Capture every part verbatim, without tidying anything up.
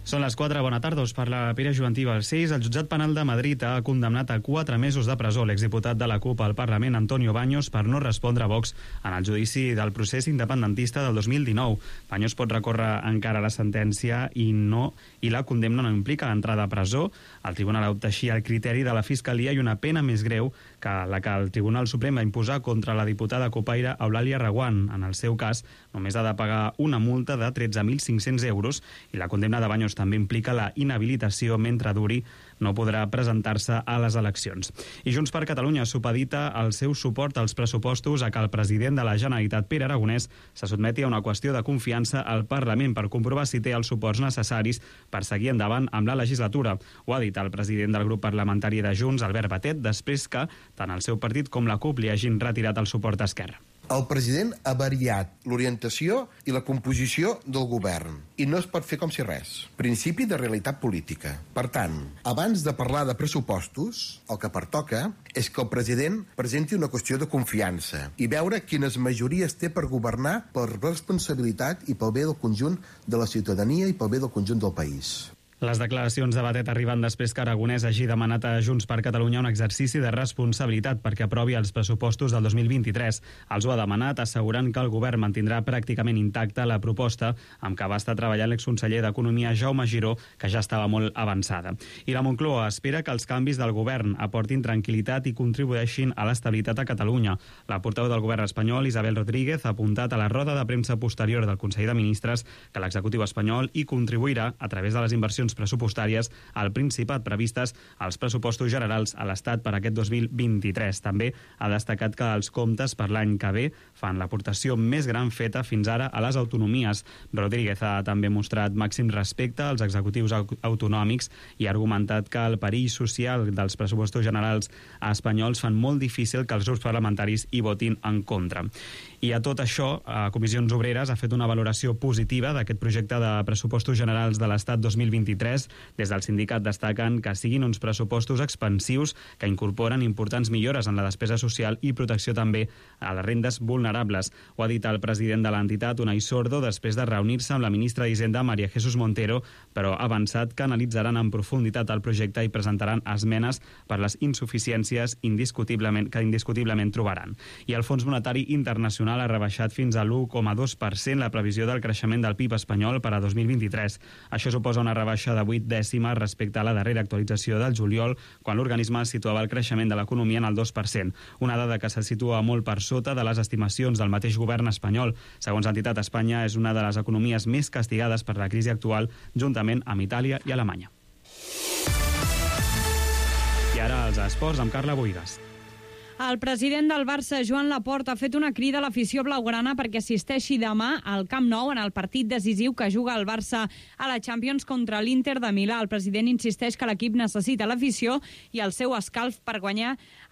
Són les quatre, bona tarda, us parla Pere Juvantí Balcells. El jutjat penal de Madrid ha condemnat a quatre mesos de presó l'exdiputat de la CUP al Parlament, Antonio Baños, per no respondre a Vox en el judici del procés independentista del dos mil dinou. Baños pot recórrer encara la sentència i no i la condemna no implica l'entrada a presó. El tribunal ha optat així al criteri de la Fiscalia i una pena més greu que la que el Tribunal Suprem va imposar contra la diputada copaire Eulàlia Reguant. En el seu cas, només ha de pagar una multa de tretze mil cinc-cents euros i la condemna de Baños també implica la inhabilitació mentre duri, no podrà presentar-se a les eleccions. I Junts per Catalunya supedita el seu suport als pressupostos a que el president de la Generalitat, Pere Aragonès, se sotmeti a una qüestió de confiança al Parlament per comprovar si té els suports necessaris per seguir endavant amb la legislatura. Ho ha dit el president del grup parlamentari de Junts, Albert Batet, després que tant el seu partit com la CUP li hagin retirat el suport d'Esquerra. El president ha variat l'orientació i la composició del govern i no es pot fer com si res. Principi de realitat política. Per tant, abans de parlar de pressupostos, el que pertoca és que el president presenti una qüestió de confiança i veure quines majories té per governar per responsabilitat i pel bé del conjunt de la ciutadania i pel bé del conjunt del país. Les declaracions de Batet arriben després que Aragonès hagi demanat a Junts per Catalunya un exercici de responsabilitat perquè aprovi els pressupostos del dos mil vint-i-tres. Els ho ha demanat assegurant que el govern mantindrà pràcticament intacta la proposta amb què va estar treballant l'exconseller d'Economia Jaume Giró, que ja estava molt avançada. I la Moncloa espera que els canvis del govern aportin tranquil·litat i contribueixin a l'estabilitat a Catalunya. La portaveu del govern espanyol, Isabel Rodríguez, ha apuntat a la roda de premsa posterior del Consell de Ministres que l'executiu espanyol hi contribuirà a través de les inversions pressupostàries al Principat previstes als pressupostos generals a l'Estat per aquest dos mil vint-i-tres. També ha destacat que els comptes per l'any que ve fan l'aportació més gran feta fins ara a les autonomies. Rodríguez ha també mostrat màxim respecte als executius autonòmics i ha argumentat que el perill social dels pressupostos generals espanyols fan molt difícil que els grups parlamentaris hi votin en contra. I a tot això, a Comissions Obreres ha fet una valoració positiva d'aquest projecte de pressupostos generals de l'Estat dos mil vint-i-tres. Des del sindicat destaquen que siguin uns pressupostos expansius que incorporen importants millores en la despesa social i protecció també a les rendes vulnerables. Ho ha dit el president de l'entitat, Unai Sordo, després de reunir-se amb la ministra d'Hisenda, María Jesús Montero, però ha avançat que analitzaran en profunditat el projecte i presentaran esmenes per les insuficiències indiscutiblement, que indiscutiblement trobaran. I el Fons Monetari Internacional ha rebaixat fins a l'u coma dos per cent la previsió del creixement del P I B espanyol per a dos mil vint-i-tres. Això suposa una rebaixa de vuit dècimes respecte a la darrera actualització del juliol, quan l'organisme situava el creixement de l'economia en el dos per cent, una dada que se situa molt per sota de les estimacions del mateix govern espanyol. Segons l'entitat, Espanya és una de les economies més castigades per la crisi actual, juntament amb Itàlia i Alemanya. I ara els esports amb Carla Boigas. El president del Barça, Joan Laporta, ha fet una crida a l'afició blaugrana perquè assisteixi demà al Camp Nou en el partit decisiu que juga el Barça a la Champions contra l'Inter de Milà. El president insisteix que l'equip necessita l'afició i el seu escalf per guanyar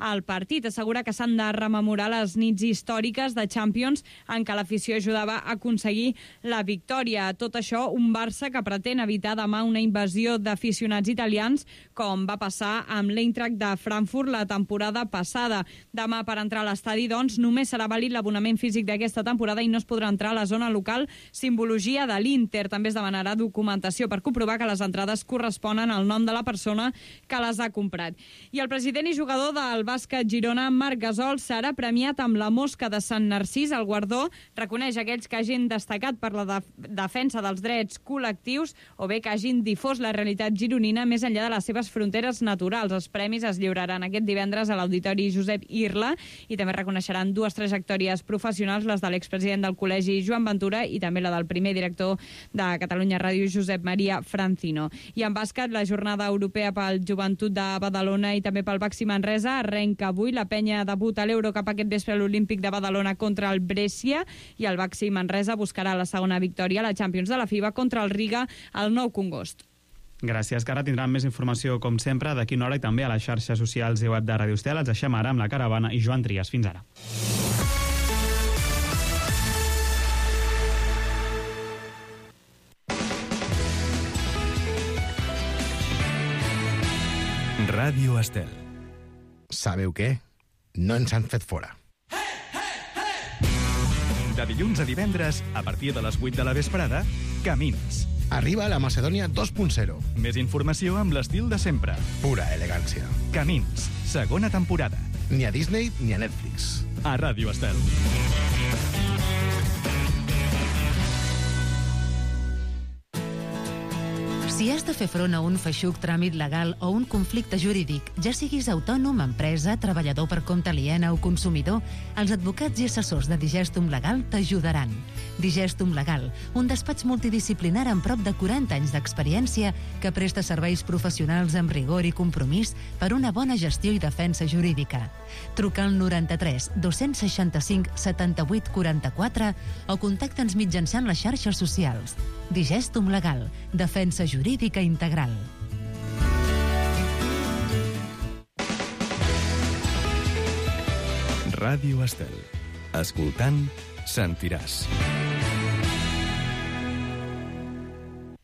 el partit. Assegura que s'han de rememorar les nits històriques de Champions en què l'afició ajudava a aconseguir la victòria. Tot això, un Barça que pretén evitar demà una invasió d'aficionats italians com va passar amb l'Eintracht de Frankfurt la temporada passada. Demà, per entrar a l'estadi, doncs, només serà vàlid l'abonament físic d'aquesta temporada i no es podrà entrar a la zona local Simbologia de l'Inter. També es demanarà documentació per comprovar que les entrades corresponen al nom de la persona que les ha comprat. I el president i jugador del bàsquet Girona, Marc Gasol, serà premiat amb la Mosca de Sant Narcís. El guardó reconeix aquells que hagin destacat per la def defensa dels drets col·lectius o bé que hagin difós la realitat gironina més enllà de les seves fronteres naturals. Els premis es lliuraran aquest divendres a l'Auditori Josep Irla i també reconeixeran dues trajectòries professionals, les de l'expresident del col·legi Joan Ventura i també la del primer director de Catalunya Ràdio, Josep Maria Francino. I en bàsquet, la jornada europea pel Joventut de Badalona i també pel Baxi Manresa arrenca avui. La penya debuta a l'Eurocup aquest vespre a l'Olímpic de Badalona contra el Brescia i el Baxi Manresa buscarà la segona victòria a la Champions de la FIBA contra el Riga el nou Congost. Gràcies, que ara tindran més informació, com sempre, d'aquí una hora i també a les xarxes socials i web de Ràdio Estel. Els deixem ara amb la Caravana i Joan Trias. Fins ara. Ràdio Estel. Sabeu què? No ens han fet fora. De dilluns a divendres, a partir de les vuit de la vesprada, Camins. Arriba la Macedònia dos punt zero. Més informació amb l'estil de sempre. Pura elegància. Camins, segona temporada. Ni a Disney ni a Netflix. A Ràdio Estel. Si has de fer front a un feixuc tràmit legal o un conflicte jurídic, ja siguis autònom, empresa, treballador per compte aliena o consumidor, els advocats i assessors de Digestum Legal t'ajudaran. Digestum Legal, un despatx multidisciplinar amb prop de quaranta anys d'experiència que presta serveis professionals amb rigor i compromís per una bona gestió i defensa jurídica. Truca al noranta-tres dos-cents seixanta-cinc setanta-vuit quaranta-quatre o contacta'ns mitjançant les xarxes socials. Digestum Legal, defensa jurídica integral. Ràdio Estel. Escoltant, sentiràs.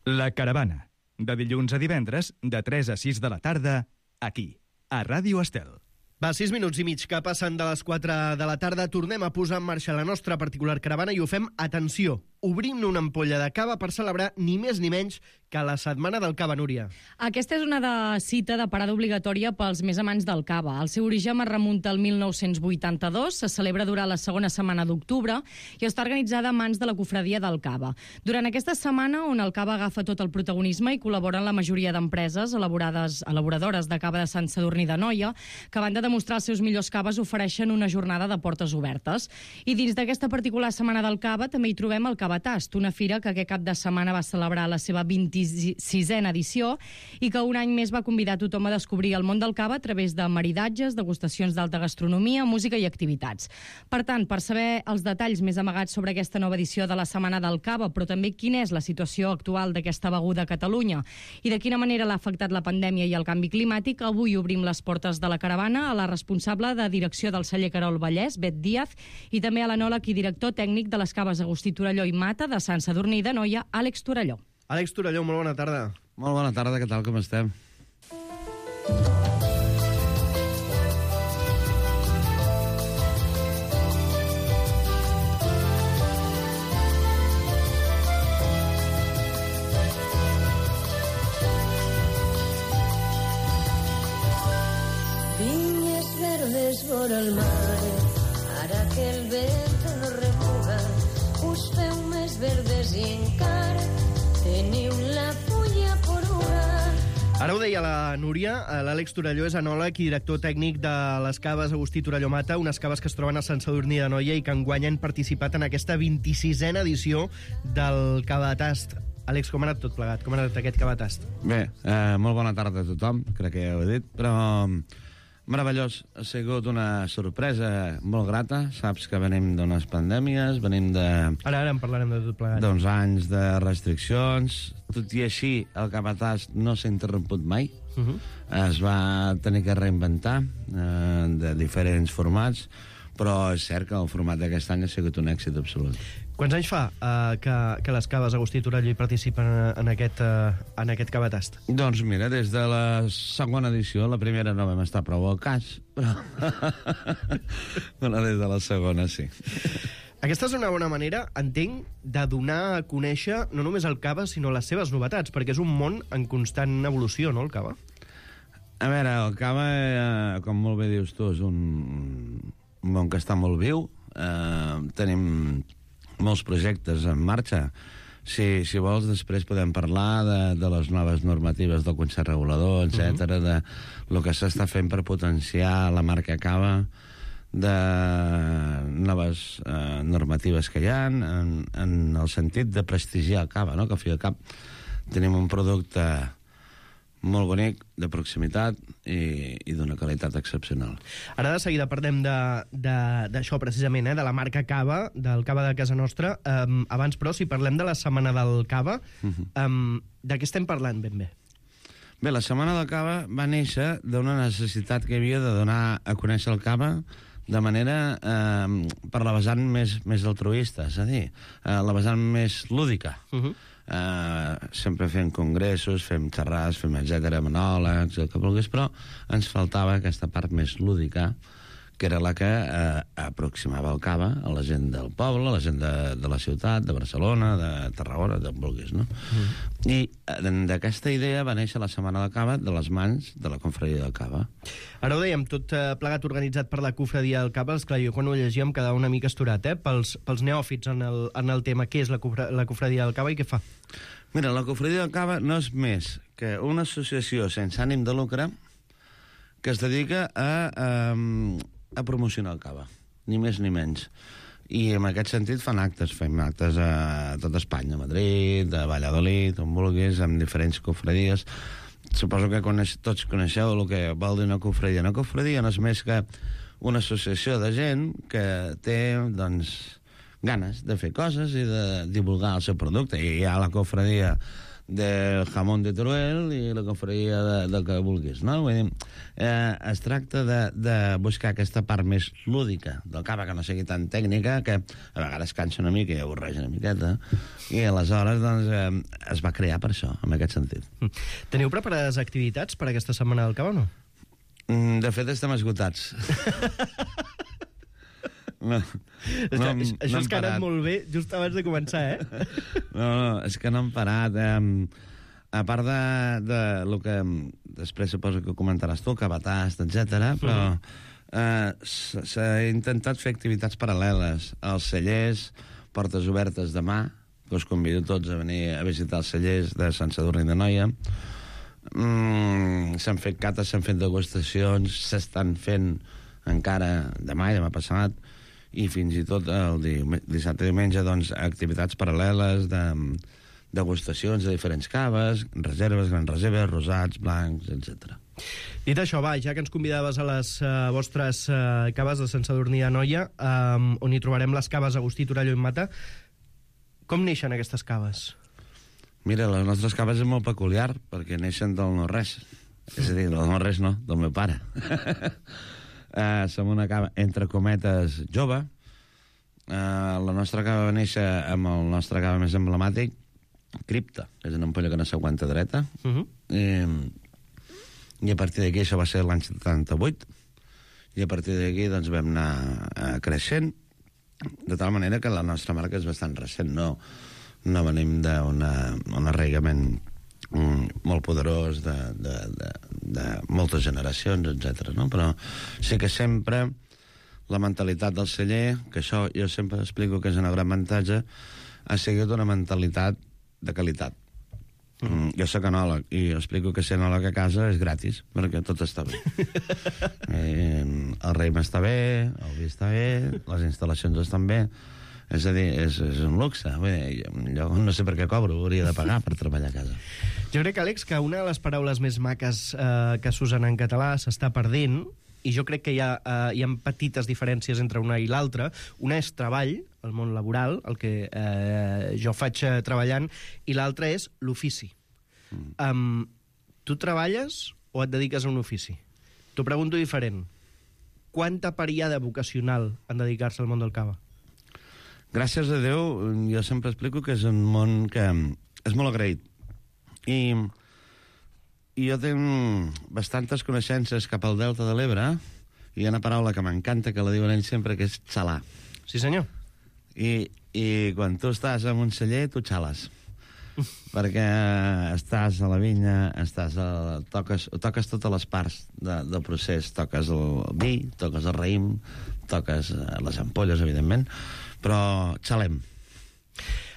La Caravana. De dilluns a divendres, de tres a sis de la tarda, aquí, a Ràdio Estel. Va, sis minuts i mig que passen de les quatre de la tarda. Tornem a posar en marxa la nostra particular caravana i ho fem, atenció, obrint una ampolla de cava per celebrar ni més ni menys que la Setmana del Cava, Núria. Aquesta és una de cita de parada obligatòria pels més amants del cava. El seu origen es remunta al mil nou-cents vuitanta-dos, se celebra durant la segona setmana d'octubre i està organitzada a mans de la Cofradia del Cava. Durant aquesta setmana, on el cava agafa tot el protagonisme, hi col·laboren la majoria d'empreses elaborades, elaboradores de cava de Sant Sadurní d'Anoia, que a banda de mostrar els seus millors caves ofereixen una jornada de portes obertes. I dins d'aquesta particular Setmana del Cava també hi trobem el Cavatast, una fira que aquest cap de setmana va celebrar la seva vint-i-sisena edició i que un any més va convidar tothom a descobrir el món del cava a través de maridatges, degustacions d'alta gastronomia, música i activitats. Per tant, per saber els detalls més amagats sobre aquesta nova edició de la Setmana del Cava, però també quina és la situació actual d'aquesta beguda a Catalunya i de quina manera l'ha afectat la pandèmia i el canvi climàtic, avui obrim les portes de la caravana a la responsable de direcció del celler Querol Vallès, Bet Díaz, i també a l'enòleg i director tècnic de les caves Agustí Torelló i Mata de Sant Sadurní d'Anoia, Àlex Torelló. Àlex Torelló, molt bona tarda. Molt bona tarda, què tal, com estem? Vinyes verdes vora el mar, ara que el vent no remuga, us feu més verdes i encara teniu la fulla poruga. Ara ho deia la Núria, l'Àlex Torelló és enòleg i director tècnic de les caves Agustí Torelló Mata, unes caves que es troben a Sant Sadurní d'Anoia i que enguany han participat en aquesta vint-i-sisena edició del Cavatast. Àlex, com ha anat tot plegat? Com ha anat aquest Cavatast? Bé, eh, molt bona tarda a tothom, crec que ja ho he dit, però meravellós. Ha sigut una sorpresa molt grata. Saps que venim d'unes pandèmies, venim de... Ara, ara en parlarem de tot plegat. D'uns anys de restriccions. Tot i així, el Cavatast no s'ha interromput mai. Uh -huh. Es va tenir que reinventar eh, de diferents formats, però és cert que el format d'aquest any ha sigut un èxit absolut. Quants anys fa uh, que, que les caves Agustí Torelló hi participen en aquest, uh, en aquest Cavatast? Doncs mira, des de la segona edició, la primera no vam estar prou al cas, però, però des de la segona sí. Aquesta és una bona manera, entenc, de donar a conèixer no només el cava, sinó les seves novetats, perquè és un món en constant evolució, no, el cava? A veure, el cava, eh, com molt bé dius tu, és un, un món que està molt viu. Eh, tenim molts projectes en marxa. Si, si vols, després podem parlar de, de les noves normatives del Consell Regulador, etcètera, uh-huh. de lo que s'està fent per potenciar la marca cava, de noves eh, normatives que hi ha, en, en el sentit de prestigiar el cava, no? Que al fi i al cap tenim un producte molt bonic, de proximitat i, i d'una qualitat excepcional. Ara de seguida parlem d'això precisament, eh, de la marca Cava, del cava de casa nostra. Um, abans, però, si parlem de la Setmana del Cava, uh-huh. um, de què estem parlant ben bé? Bé, la Setmana del Cava va néixer d'una necessitat que hi havia de donar a conèixer el cava de manera eh, per la vessant més, més altruista, és a dir, eh, la vessant més lúdica. Uh-huh. Uh, sempre fem congressos, fem xerrades, fem etcètera, monòlegs, el que vulguis, però ens faltava aquesta part més lúdica que era la que eh, aproximava el cava a la gent del poble, a la gent de, de la ciutat, de Barcelona, de Tarragona, d'on vulguis, no? Mm. I eh, d'aquesta idea va néixer la Setmana del Cava de les mans de la Confraria del Cava. Ara ho dèiem, tot eh, plegat organitzat per la Confraria del Cava. Esclar, jo quan ho llegíem quedava una mica esturat, eh? Pels, pels neòfits en el, en el tema, què és la, la Confraria del Cava i què fa? Mira, la Confraria del Cava no és més que una associació sense ànim de lucre que es dedica a, a, a promocionar el cava, ni més ni menys. I en aquest sentit fan actes, fem actes a tot Espanya, a Madrid, a Valladolid, on vulguis, amb diferents confradies. Suposo que coneix, tots coneixeu el que vol dir una confradia. Una confradia no és més que una associació de gent que té, doncs, ganes de fer coses i de divulgar el seu producte. I hi ha la confradia del jamón de Teruel i la confraria de, del que vulguis, no? Vull dir, eh, es tracta de, de buscar aquesta part més lúdica del cava, que no sigui tan tècnica, que a vegades cansa una mica i avorreix una miqueta, i aleshores doncs, eh, es va crear per això, en aquest sentit. Teniu preparades activitats per aquesta setmana del cava o no? De fet, estem esgotats. No, no, no, això no és que ha anat molt bé just abans de començar, eh? No, no, és que no hem parat. Eh? A part de, de lo que després suposo que comentaràs tu, Cabatast, etcètera, però eh, s'ha intentat fer activitats paral·leles. Els cellers, portes obertes demà, que us convido tots a venir a visitar els cellers de Sant Sadurní d'Anoia. Mm, s'han fet cates, s'han fet degustacions, s'estan fent encara demà i demà passat, i fins i tot el dissabte i diumenge, doncs, activitats paral·leles de degustacions de diferents caves, reserves, grans reserves, rosats, blancs, etcètera. Dit això, va, ja que ens convidaves a les uh, vostres uh, caves de Sant Sadurní d'Anoia, um, on hi trobarem les caves Agustí, Torelló i Mata, com neixen aquestes caves? Mira, les nostres caves és molt peculiar, perquè neixen del no-res. És a dir, del no-res no, del meu pare. Uh, som una cava, entre cometes, jove. Uh, la nostra cava va néixer amb el nostre cava més emblemàtic, Cripta, que és una ampolla que no s'aguanta dreta. Uh -huh. I, I a partir d'aquí, això va ser l'any setanta-vuit, i a partir d'aquí doncs, vam anar uh, creixent, de tal manera que la nostra marca és bastant recent. No, no venim d'un arraigament Mm, molt poderós de, de, de, de moltes generacions, etcètera, no? Però sí que sempre la mentalitat del celler, que això jo sempre explico que és un gran avantatge, ha sigut una mentalitat de qualitat. Mm, jo soc enòleg i explico que ser enòleg a casa és gratis, perquè tot està bé. eh, el raïm està bé, el vi està bé, les instal·lacions estan bé. És a dir, és, és un luxe. Bé, jo no sé per què cobro, hauria de pagar per treballar a casa. Jo crec, Àlex, que una de les paraules més maques eh, que s'usen en català s'està perdent, i jo crec que hi ha, eh, hi ha petites diferències entre una i l'altra. Una és treball, el món laboral, el que eh, jo faig eh, treballant, i l'altra és l'ofici. Mm. Um, tu treballes o et dediques a un ofici? T'ho pregunto diferent. Quanta periada vocacional en dedicar-se al món del cava? Gràcies a Déu, jo sempre explico que és un món que és molt agraït. I, i jo tinc bastantes coneixences cap al Delta de l'Ebre, i hi ha una paraula que m'encanta, que la diuen ells sempre, que és xalar. Sí, senyor. I, i quan tu estàs en un celler, tu xales. Perquè estàs a la vinya, estàs a, toques, toques totes les parts de, del procés. Toques el vi, toques el raïm, toques les ampolles, evidentment, però xalem.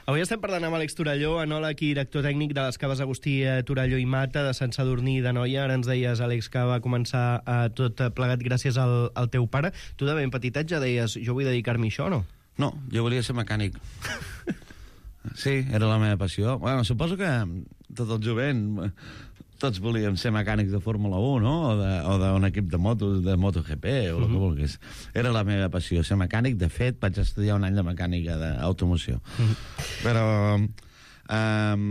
Avui estem parlant amb Àlex Torelló, enòleg i director tècnic de les caves Agustí, Torelló i Mata, de Sant Sadurní d'Anoia. Ara ens deies, Àlex, que va començar eh, tot plegat gràcies al, al teu pare. Tu de ben petitet ja deies, jo vull dedicar-me a això, no? No, jo volia ser mecànic. Sí, era la meva passió. Bueno, suposo que tot el jovent, tots volíem ser mecànics de Fórmula un, no? O d'un equip de motos, de MotoGP, o el que vulguis. Era la meva passió, ser mecànic. De fet, vaig estudiar un any de mecànica d'automoció. Però, um,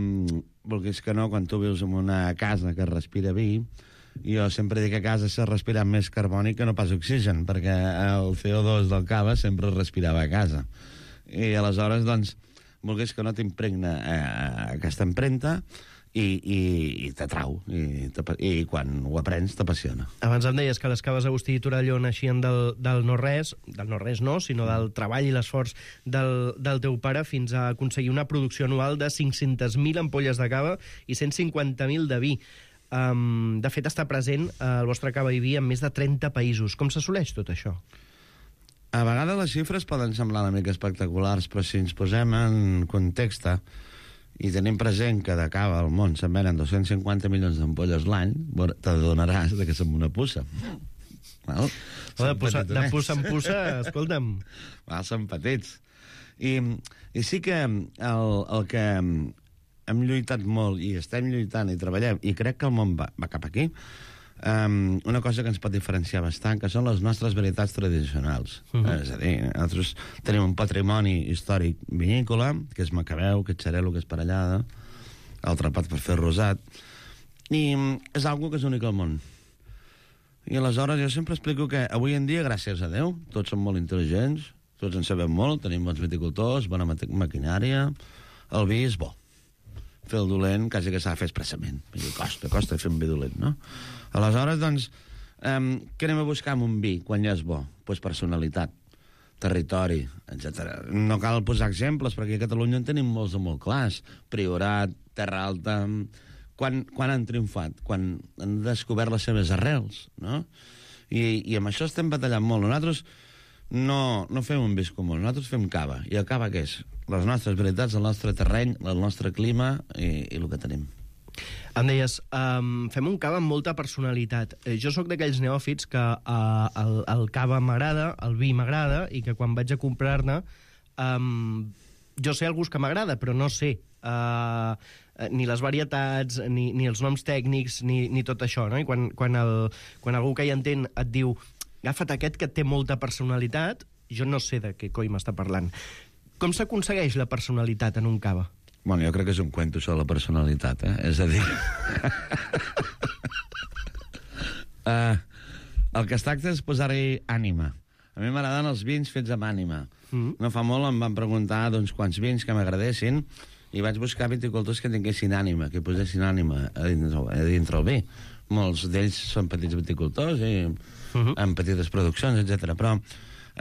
vulguis que no, quan tu vius en una casa que respira vi, jo sempre dic que a casa s'ha respirat més carbònic que no pas oxigen, perquè el C O dos del cava sempre es respirava a casa. I aleshores, doncs, volgués que no t'impregna eh, aquesta empremta, i, i, i t'atrau, i, i quan ho aprens t'apassiona. Abans em deies que les caves Agustí i Torelló naixien del, del no-res, del no-res no, sinó del treball i l'esforç del, del teu pare fins a aconseguir una producció anual de cinc-centes mil ampolles de cava i cent cinquanta mil de vi. Um, de fet, està present el vostre cava i vi en més de trenta països. Com s'assoleix tot això? A vegades les xifres poden semblar una mica espectaculars, però si ens posem en context i tenim present que de cava al món se'n venen dos-cents cinquanta milions d'ampolles l'any, t'adonaràs que som una puça. Val? De puça, de puça en puça, escolta'm. Val, són petits. I, i sí que el, el que hem lluitat molt i estem lluitant i treballem, i crec que el món va, va cap aquí, Um, una cosa que ens pot diferenciar bastant, que són les nostres varietats tradicionals. Uh-huh. És a dir, nosaltres tenim un patrimoni històric vinícola, que és macabeu, que és xarel·lo, que és parellada, el trapat per fer rosat, i és algo que és únic al món. I aleshores jo sempre explico que avui en dia, gràcies a Déu, tots som molt intel·ligents, tots en sabem molt, tenim bons viticultors, bona maquinària, el vi és bo. Fer el dolent quasi que s'ha de fer expressament. Costa, costa fer un vi dolent, no? Aleshores, doncs, um, què anem a buscar amb un vi quan ja és bo? Doncs pues personalitat, territori, etcètera. No cal posar exemples, perquè a Catalunya en tenim molts de molt clars. Priorat, Terra Alta... Quan, quan han triomfat? Quan han descobert les seves arrels, no? I, i amb això estem batallant molt. Nosaltres no, no fem un vins comú, nosaltres fem cava. I el cava què és? Les nostres varietats, el nostre terreny, el nostre clima i, i el que tenim. Em deies, um, fem un cava amb molta personalitat. Eh, jo sóc d'aquells neòfits que uh, el, el cava m'agrada, el vi m'agrada, i que quan vaig a comprar-ne, um, jo sé el gust que m'agrada, però no sé uh, ni les varietats, ni, ni els noms tècnics, ni, ni tot això, no? I quan, quan, el, quan algú que hi entén et diu agafa't aquest que té molta personalitat, jo no sé de què coi m'està parlant. Com s'aconsegueix la personalitat en un cava? Bueno, jo crec que és un cuento sobre la personalitat, eh? És a dir... uh, el que es tracta és posar-hi ànima. A mi m'agraden els vins fets amb ànima. Mm. No fa molt em van preguntar doncs, quants vins que m'agradessin i vaig buscar viticultors que tinguessin ànima, que posessin ànima a dintre, a dintre el vi. Molts d'ells són petits viticultors i uh-huh. amb petites produccions, etcètera. Però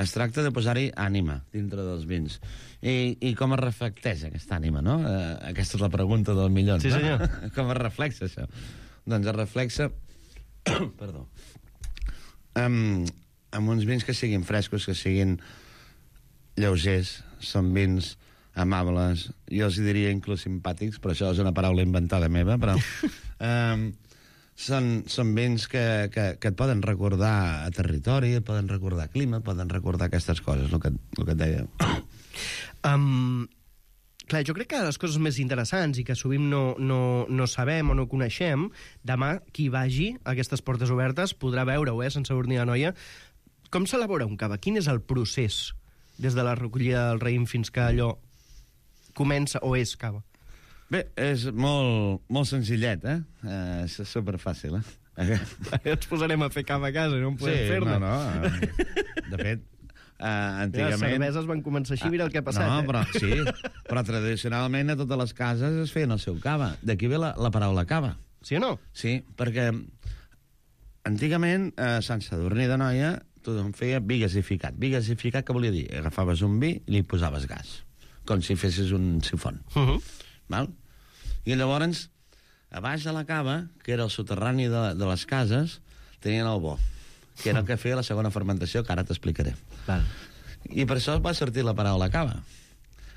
es tracta de posar-hi ànima dintre dels vins. I, i com es reflecteix aquesta ànima, no? Uh, aquesta és la pregunta del milió. Sí, senyor. No? Com es reflexa això? Doncs es reflexa... Perdó. Amb, amb uns vins que siguin frescos, que siguin lleugers, són vins amables, jo els diria inclús simpàtics, però això és una paraula inventada meva, però... um, Són, són vins que, que, que et poden recordar a territori, et poden recordar clima, et poden recordar aquestes coses, el que, el que et deia. Um, clar, jo crec que les coses més interessants i que sovint no, no, no sabem o no coneixem, demà qui vagi a aquestes portes obertes podrà veure-ho, eh, sense orni de noia. Com s'elabora un cava? Quin és el procés des de la recollida del raïm fins que allò comença o és cava? Bé, és molt, molt senzillet, eh? Uh, és superfàcil, eh? Ens posarem a fer cava a casa, no en podem sí, fer-ne. No, no. De fet, uh, antigament... Les cerveses van començar així, mira el que ha passat. No, eh? però sí, però tradicionalment a totes les cases es feien el seu cava. D'aquí ve la, la paraula cava. Sí o no? Sí, perquè antigament a Sant Sadurní d'Anoia tothom feia vi gasificat. Vi gasificat què volia dir? Agafaves un vi i li posaves gas, com si fessis un sifon. Uh-huh. Val? I llavors, a baix de la cava, que era el soterrani de, de les cases, tenien el bo, que era el que feia la segona fermentació, que ara t'explicaré. Val. I per això va sortir la paraula cava.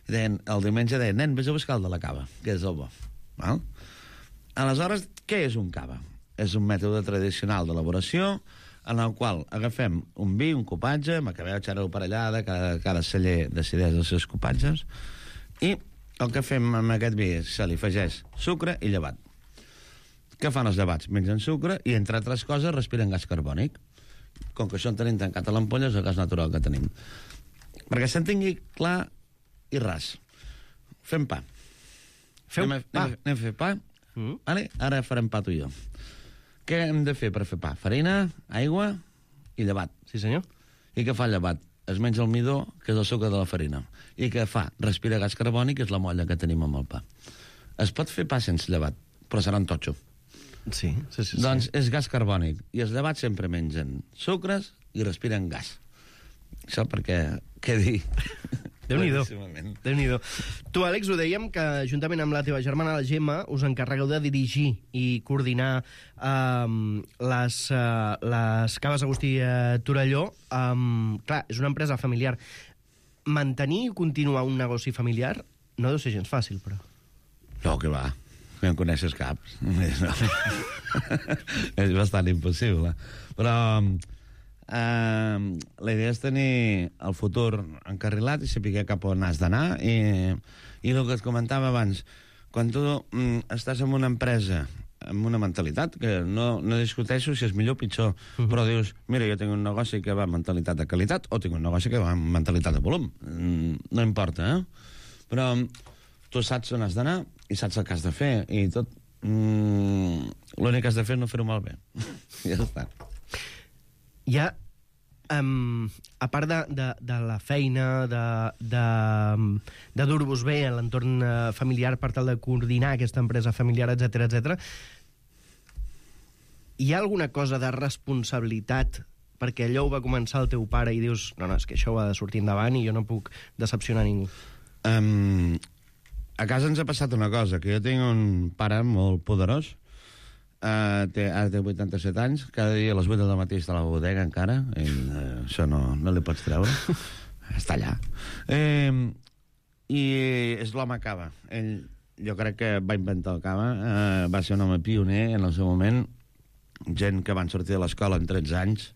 I deien, el diumenge deien, nen, vés a buscar el de la cava, que és el bo. Val? Aleshores, què és un cava? És un mètode tradicional d'elaboració en el qual agafem un vi, un copatge, macabeu, xarel·lo parellada, cada, cada celler decideix els seus copatges, i el que fem amb aquest vi és se li afegeix sucre i llevat. Què fan els llevats? Mengen sucre i, entre altres coses, respiren gas carbònic. Com que això en tenim tancat a l'ampolla, és el gas natural que tenim. Perquè s'entengui clar i ras. Fem pa. Feu anem a, pa? Anem a, anem a fer pa. Mm. Vale? Ara farem pa tu i jo. Què hem de fer per fer pa? Farina, aigua i llevat. Sí, senyor. I què fa el llevat? Es menja el midó, que és el sucre de la farina. I què fa? Respira gas carbònic, que és la molla que tenim amb el pa. Es pot fer pa sense llevat, però serà un totxo. Sí, sí, sí. Doncs sí. és gas carbònic. I els llevats sempre mengen sucres i respiren gas. Això perquè quedi... Déu-n'hi-do. Déu-n'hi-do. Tu, Àlex, ho dèiem que juntament amb la teva germana, la Gemma, us encarregueu de dirigir i coordinar um, les, uh, les Caves Agustí uh, Torelló. Um, clar, és una empresa familiar. Mantenir i continuar un negoci familiar no deu ser gens fàcil, però... No, que va. No en coneixes cap. No. És bastant impossible. Però... Uh, la idea és tenir el futur encarrilat i saber cap on has d'anar i, i el que et comentava abans, quan tu mm, estàs en una empresa amb una mentalitat, que no, no discuteixo si és millor o pitjor, uh-huh. però dius, mira, jo tinc un negoci que va amb mentalitat de qualitat o tinc un negoci que va amb mentalitat de volum, mm, no importa, eh? Però tu saps on has d'anar i saps el que has de fer i tot, mm, l'únic que has de fer és no fer-ho malbé. Ja està. Hi ha, um, a part de, de, de la feina, de, de, de dur-vos bé en l'entorn uh, familiar per tal de coordinar aquesta empresa familiar, etcètera, etcètera, hi ha alguna cosa de responsabilitat perquè allò ho va començar el teu pare i dius, no, no, és que això ho ha de sortir endavant i jo no puc decepcionar ningú? Um, a casa ens ha passat una cosa, que jo tinc un pare molt poderós. Uh, té, ara té vuitanta-set anys, cada dia a les vuit del matí està a la bodega encara, i, uh, això no, no li pots treure, està allà. Uh, I és l'home cava. Ell, jo crec que va inventar el cava, uh, va ser un home pioner en el seu moment, gent que van sortir de l'escola en tretze anys,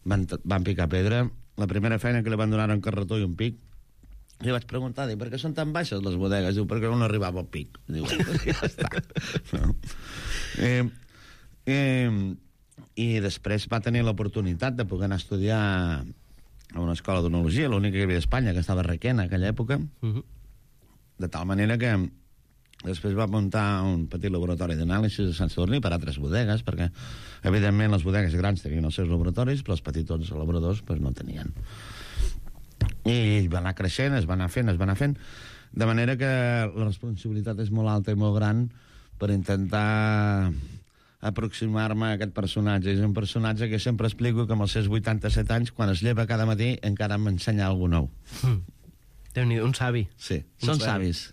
van, van picar pedra, la primera feina que li van donar un carretó i un pic, li vaig preguntar, dic, per què són tan baixes les bodegues? Diu, perquè no arribava al pic. Diu, ja està. No. Eh, eh, I després va tenir l'oportunitat de poder anar a estudiar a una escola d'onologia, l'única que hi havia a Espanya, que estava a Requena, en aquella època, uh-huh. de tal manera que després va muntar un petit laboratori d'anàlisi a Sant Sadurní per altres bodegues, perquè, evidentment, les bodegues grans tenien els seus laboratoris, però els petitons elaboradors pues, no tenien. I va anar creixent, es va anar fent, es va anar fent, de manera que la responsabilitat és molt alta i molt gran per intentar aproximar-me a aquest personatge. És un personatge que sempre explico que amb els seus vuitanta-set anys, quan es lleva cada matí, encara m'ensenya alguna nou. Mm. Déu-n'hi-do, un savi. Sí, un són savi. savis.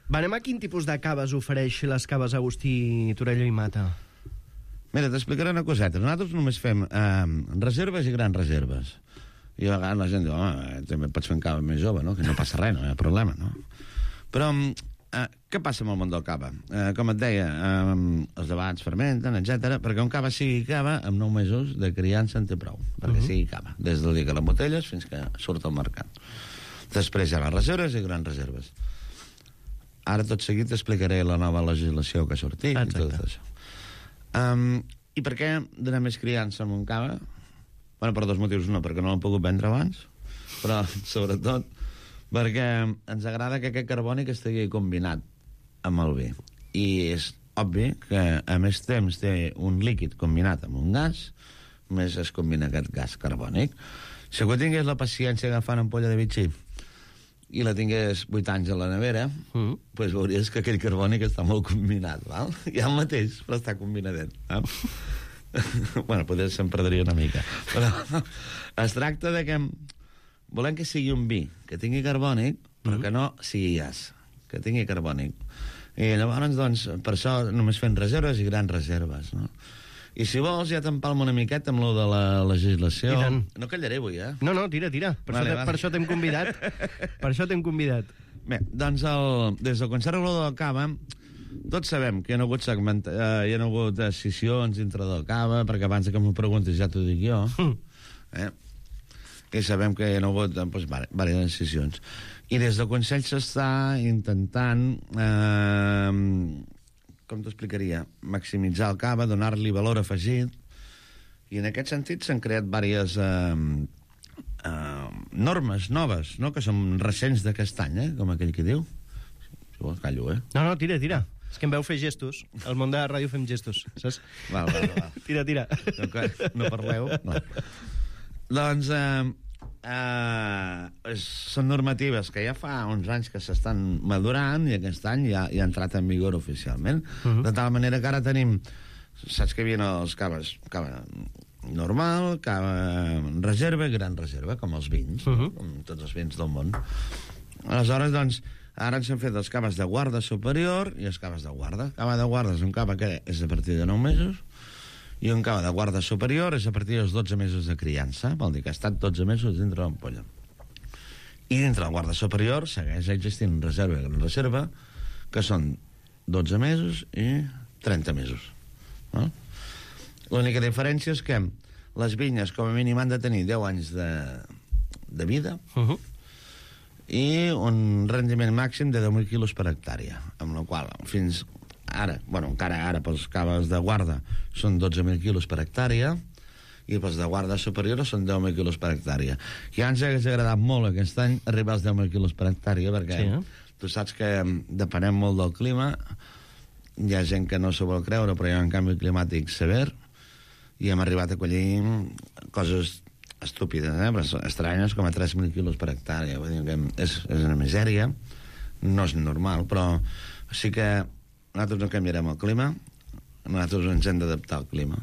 Va, anem a quin tipus de caves ofereix les Caves Agustí Torelló i Mata? Mira, t'explicaré una coseta. Nosaltres només fem eh, reserves i grans reserves. I a vegades la gent diu, home, també pots fer un cava més jove, no? Que no passa res, no hi ha problema, no? Però eh, què passa amb el món del cava? Eh, com et deia, eh, els debats fermenten, etcètera, perquè un cava sigui cava, amb nou mesos de criança en té prou, perquè uh-huh. sigui cava, des del dia que l'embotelles fins que surt al mercat. Després hi ha les reserves i grans reserves. Ara tot seguit t'explicaré la nova legislació que ha sortit. Exacte. I tot això. Um, I per què donar més criança amb un cava? Bueno, per dos motius. No, perquè no l'han pogut vendre abans, però sobretot perquè ens agrada que aquest carbònic estigui combinat amb el vi. I és obvi que a més temps té un líquid combinat amb un gas, més es combina aquest gas carbònic. Si algú tingués la paciència d'agafar una ampolla de bitxí i la tingués vuit anys a la nevera, mm. pues veuries que aquell carbònic està molt combinat, val? Ja el mateix, però està combinadet. Val? Bueno, potser se'n perdria una mica. Però es tracta de que volem que sigui un vi que tingui carbònic, però mm. que no sigui gas, que tingui carbònic. I llavors, doncs, per això només fem reserves i grans reserves, no? I si vols, ja t'empalmo una miqueta amb lo de la legislació. No callaré avui, eh? No, no, tira, tira. Per, vale, això, vale. per això t'hem convidat. Per això t'hem convidat. Bé, doncs, el, des del Consell Regulador del Cava, tots sabem que hi ha hagut, segment, eh, hi ha hagut decisions dintre del Cava, perquè abans que m'ho preguntis ja t'ho dic jo. Eh? I sabem que hi ha hagut doncs, diverses decisions. I des del Consell s'està intentant... Eh, com t'ho explicaria, maximitzar el cava, donar-li valor afegit, i en aquest sentit s'han creat diverses eh, eh, normes noves, no?, que són recents d'aquest any, eh?, com aquell que diu. Si vols, callo, eh? No, no, tira, tira. És que em veu fer gestos. Al món de la ràdio fem gestos, saps? Val, val, val. Tira, tira. No, no parleu? No. Doncs, eh, eh, són normatives que ja fa uns anys que s'estan madurant i aquest any ja, ja ha entrat en vigor oficialment. Uh-huh. De tal manera que ara tenim... Saps que hi havia els caves, cava normal, cava reserva i gran reserva, com els vins, uh-huh. com tots els vins del món. Aleshores, doncs, ara ens han fet els caves de guarda superior i els caves de guarda. Cava de guarda és un cava que és a partir de nou mesos i un cava de guarda superior és a partir dels dotze mesos de criança, vol dir que ha estat dotze mesos dintre l'ampolla. I dintre la guarda superior segueix existint reserva i gran reserva, que són dotze mesos i trenta mesos. No? L'única diferència és que les vinyes com a mínim han de tenir deu anys de, de vida uh-huh. i un rendiment màxim de deu mil quilos per hectàrea, amb la qual fins ara, bueno, encara ara pels caves de guarda són dotze mil quilos per hectàrea i pels de guarda superior són deu mil quilos per hectàrea. I ens hauria agradat molt aquest any arribar als deu mil quilos per hectàrea, perquè sí, eh? Tu saps que depenem molt del clima. Hi ha gent que no s'ho vol creure, però hi ha un canvi climàtic sever i hem arribat a collir coses estúpides, eh? Però estranyes, com a tres mil quilos per hectàrea. Vull dir que és, és una misèria, no és normal, però sí que nosaltres no canviarem el clima, nosaltres ens hem d'adaptar al clima.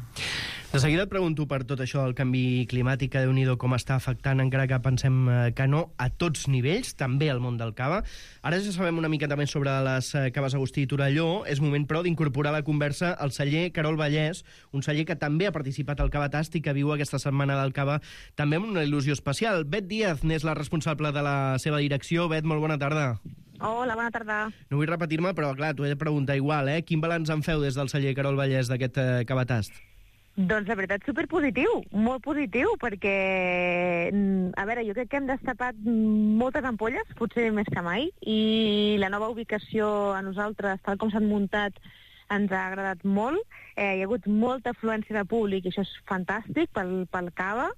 De seguida et pregunto per tot això, el canvi climàtic, que Déu-n'hi-do com està afectant, encara que pensem que no, a tots nivells, també al món del cava. Ara ja sabem una miqueta més sobre les caves Agustí i Torelló. És moment, però, d'incorporar a la conversa el celler Querol Vallès, un celler que també ha participat al Cavatast i que viu aquesta setmana del cava també amb una il·lusió especial. Bet Díaz n'és la responsable de la seva direcció. Bet, molt bona tarda. Hola, bona tarda. No vull repetir-me, però clar, t'ho he de preguntar igual, eh? Quin balanç en feu des del celler Querol Vallès d'aquest eh, Cavatast? Doncs la veritat, superpositiu, molt positiu, perquè, a veure, jo crec que hem destapat moltes ampolles, potser més que mai, i la nova ubicació a nosaltres, tal com s'han muntat, ens ha agradat molt. Eh, hi ha hagut molta afluència de públic, i això és fantàstic pel, pel cava,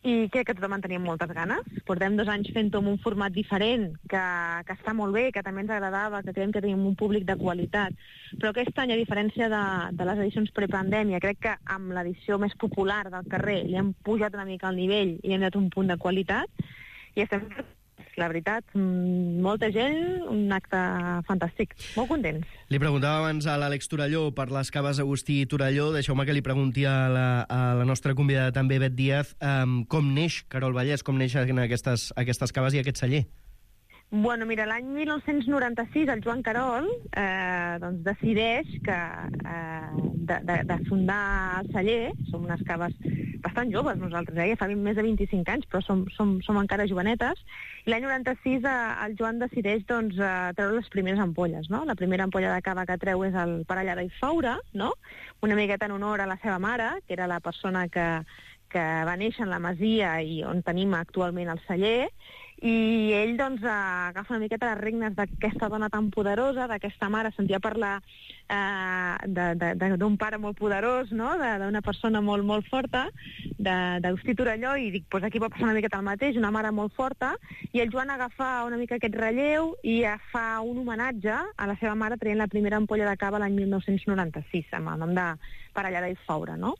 i crec que tothom en tenia moltes ganes. Portem dos anys fent-ho amb un format diferent, que, que està molt bé, que també ens agradava, que creiem que tenim un públic de qualitat. Però aquest any, a diferència de, de les edicions prepandèmia, crec que amb l'edició més popular del carrer li hem pujat una mica el nivell i hem dat un punt de qualitat. I estem, la veritat, molta gent, un acte fantàstic. Molt contents. Li preguntava abans a l'Àlex Torelló per les caves Agustí i Torelló. Deixeu-me que li pregunti a la, a la nostra convidada també, Bet Díaz, um, com neix Querol Vallès, com neixen aquestes, aquestes caves i aquest celler? Bueno, mira, l'any mil nou-cents noranta-sis el Joan Querol eh, doncs decideix que, eh, de, de, de fundar el celler. Som unes caves bastant joves nosaltres, eh? Ja fa més de vint-i-cinc anys, però som, som, som encara jovenetes. I l'any noranta-sis eh, el Joan decideix doncs, eh, treure les primeres ampolles, no? La primera ampolla de cava que treu és el Parellada i Faura, no? Una miqueta en honor a la seva mare, que era la persona que, que va néixer en la masia i on tenim actualment el celler. I ell doncs agafa una miqueta les regnes d'aquesta dona tan poderosa, d'aquesta mare, sentia parlar eh, d'un pare molt poderós, no? D'una persona molt, molt forta, d'Agustí Torelló, i dic, pues aquí va passar una miqueta el mateix, una mare molt forta, i el Joan agafa una mica aquest relleu i fa un homenatge a la seva mare traient la primera ampolla de cava l'any mil nou-cents noranta-sis, amb el nom de Parellada i Faura, no?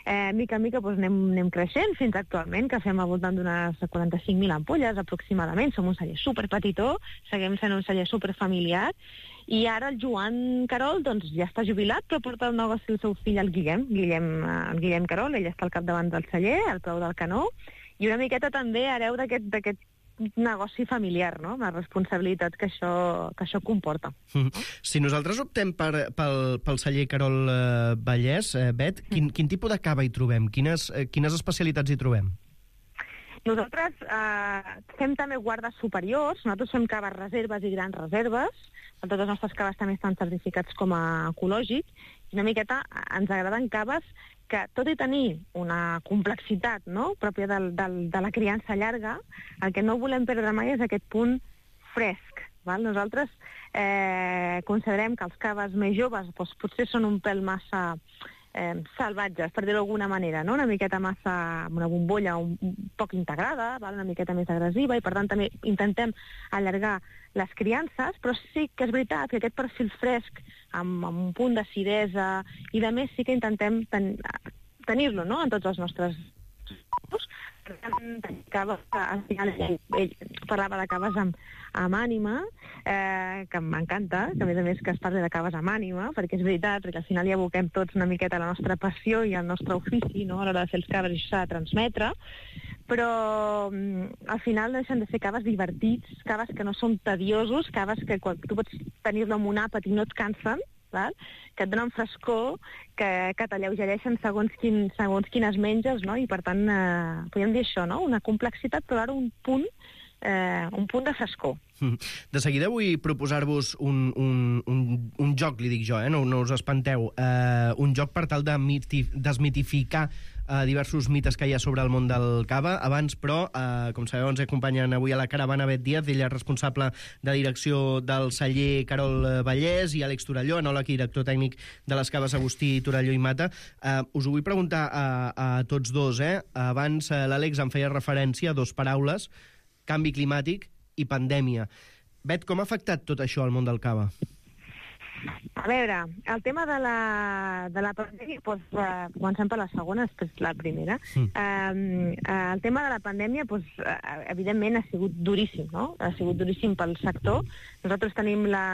Eh, mica en mica doncs, anem, anem creixent fins actualment, que fem al voltant d'unes quaranta-cinc mil ampolles aproximadament. Som un celler superpetitó, seguim sent un celler superfamiliar, i ara el Joan Querol doncs, ja està jubilat, però porta el negoci el seu fill, el Guillem, Guillem, el Guillem Querol. Ell està al capdavant del celler, al peu del canó, i una miqueta també hereu d'aquest negoci familiar, no? La responsabilitat que això, que això comporta. Mm. Si nosaltres optem per, pel, pel celler Querol eh, Vallès, eh, Bet, quin, quin tipus de cava hi trobem? Quines, eh, quines especialitats hi trobem? Nosaltres eh, fem també guardes superiors, nosaltres fem caves reserves i grans reserves, totes les nostres caves també estan certificats com a ecològics, i una miqueta ens agraden caves que, tot i tenir una complexitat, no?, pròpia del, del, de la criança llarga, el que no volem perdre mai és aquest punt fresc. Val? Nosaltres eh, considerem que els caves més joves doncs, potser són un pèl massa eh, salvatges, per dir-ho d'alguna manera, no? Una miqueta massa, amb una bombolla un, un poc integrada, val? Una miqueta més agressiva, i per tant també intentem allargar les criances, però sí que és veritat que aquest perfil fresc, amb, amb un punt d'acidesa i de més, sí que intentem ten, tenir-lo, no?, en tots els nostres... caves, al final ell, ell parlava de caves amb, amb ànima, eh, que m'encanta, que a més a més que es parli de caves amb ànima, perquè és veritat, perquè al final hi aboquem tots una miqueta la nostra passió i el nostre ofici, no?, a l'hora de fer els caves, i això s'ha de transmetre, però al final no deixen de ser caves divertits, caves que no són tediosos, caves que quan tu pots tenir-lo amb un àpat i no et cansen, val? Que et donen frescor, que, que t'alleugereixen segons, quin, segons quines menges, no? I per tant, eh, podríem dir això, no? Una complexitat, però ara un punt, eh, un punt de frescor. De seguida vull proposar-vos un, un, un, un joc, li dic jo, eh? no, no us espanteu, eh, un joc per tal de miti, desmitificar eh, diversos mites que hi ha sobre el món del cava. Abans, però, eh, com sabeu, ens acompanyen avui a la caravana Bet Díaz, ella és responsable de direcció del celler Carol Vallès, i Àlex Torelló, enòleg i director tècnic de les caves Agustí, Torelló i Mata. Eh, us ho vull preguntar a, a tots dos. Eh? Abans eh, l'Àlex em feia referència a dos paraules, canvi climàtic i pandèmia. Bet, com ha afectat tot això al món del cava? A veure, el tema de la, de la pandèmia, doncs, eh, comencem per la segona, després la primera. Mm. Eh, el tema de la pandèmia, doncs, evidentment, ha sigut duríssim, no? Ha sigut duríssim pel sector. Nosaltres tenim la,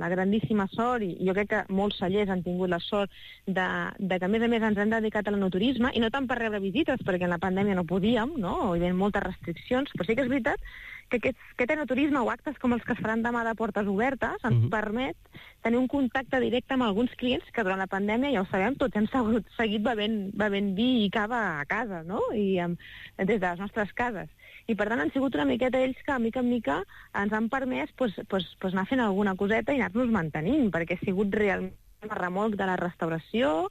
la grandíssima sort, i jo crec que molts cellers han tingut la sort de, de que, a més a més, ens hem dedicat a l'enoturisme, i no tant per rebre visites, perquè en la pandèmia no podíem, no? Hi havia moltes restriccions, però sí que és veritat que aquest, aquest enoturisme o actes com els que es faran demà de portes obertes ens uh-huh. permet tenir un contacte directe amb alguns clients que durant la pandèmia, ja ho sabem, tots hem seguit, seguit bevent, bevent vi i cava a casa, no? I amb, des de les nostres cases. I per tant han sigut una miqueta ells que, mica en mica, ens han permès pues, pues, pues anar fent alguna coseta i anar-nos mantenint, perquè ha sigut realment a remolc de la restauració,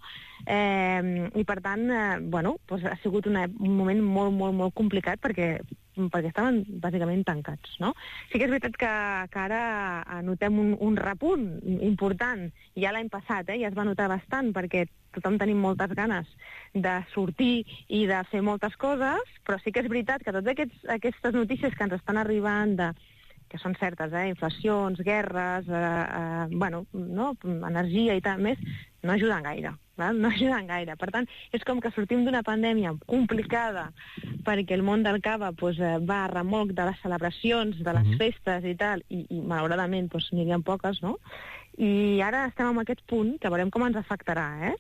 eh, i per tant, eh, bueno, pues ha sigut una, un moment molt, molt, molt complicat perquè, perquè estaven bàsicament tancats, no? Sí que és veritat que, que ara notem un, un repunt important, ja l'any passat, eh, ja es va notar bastant, perquè tothom tenim moltes ganes de sortir i de fer moltes coses, però sí que és veritat que totes aquests, aquestes notícies que ens estan arribant de que són certes, eh? Inflacions, guerres, eh, eh, bueno, no? energia i tal més, no ajuden gaire, val? no ajuden gaire. Per tant, és com que sortim d'una pandèmia complicada perquè el món del cava pues, va a remolc de les celebracions, de les uh-huh. festes i tal, i, i malauradament pues, n'hi havia poques, no? I ara estem en aquest punt, que veurem com ens afectarà, eh?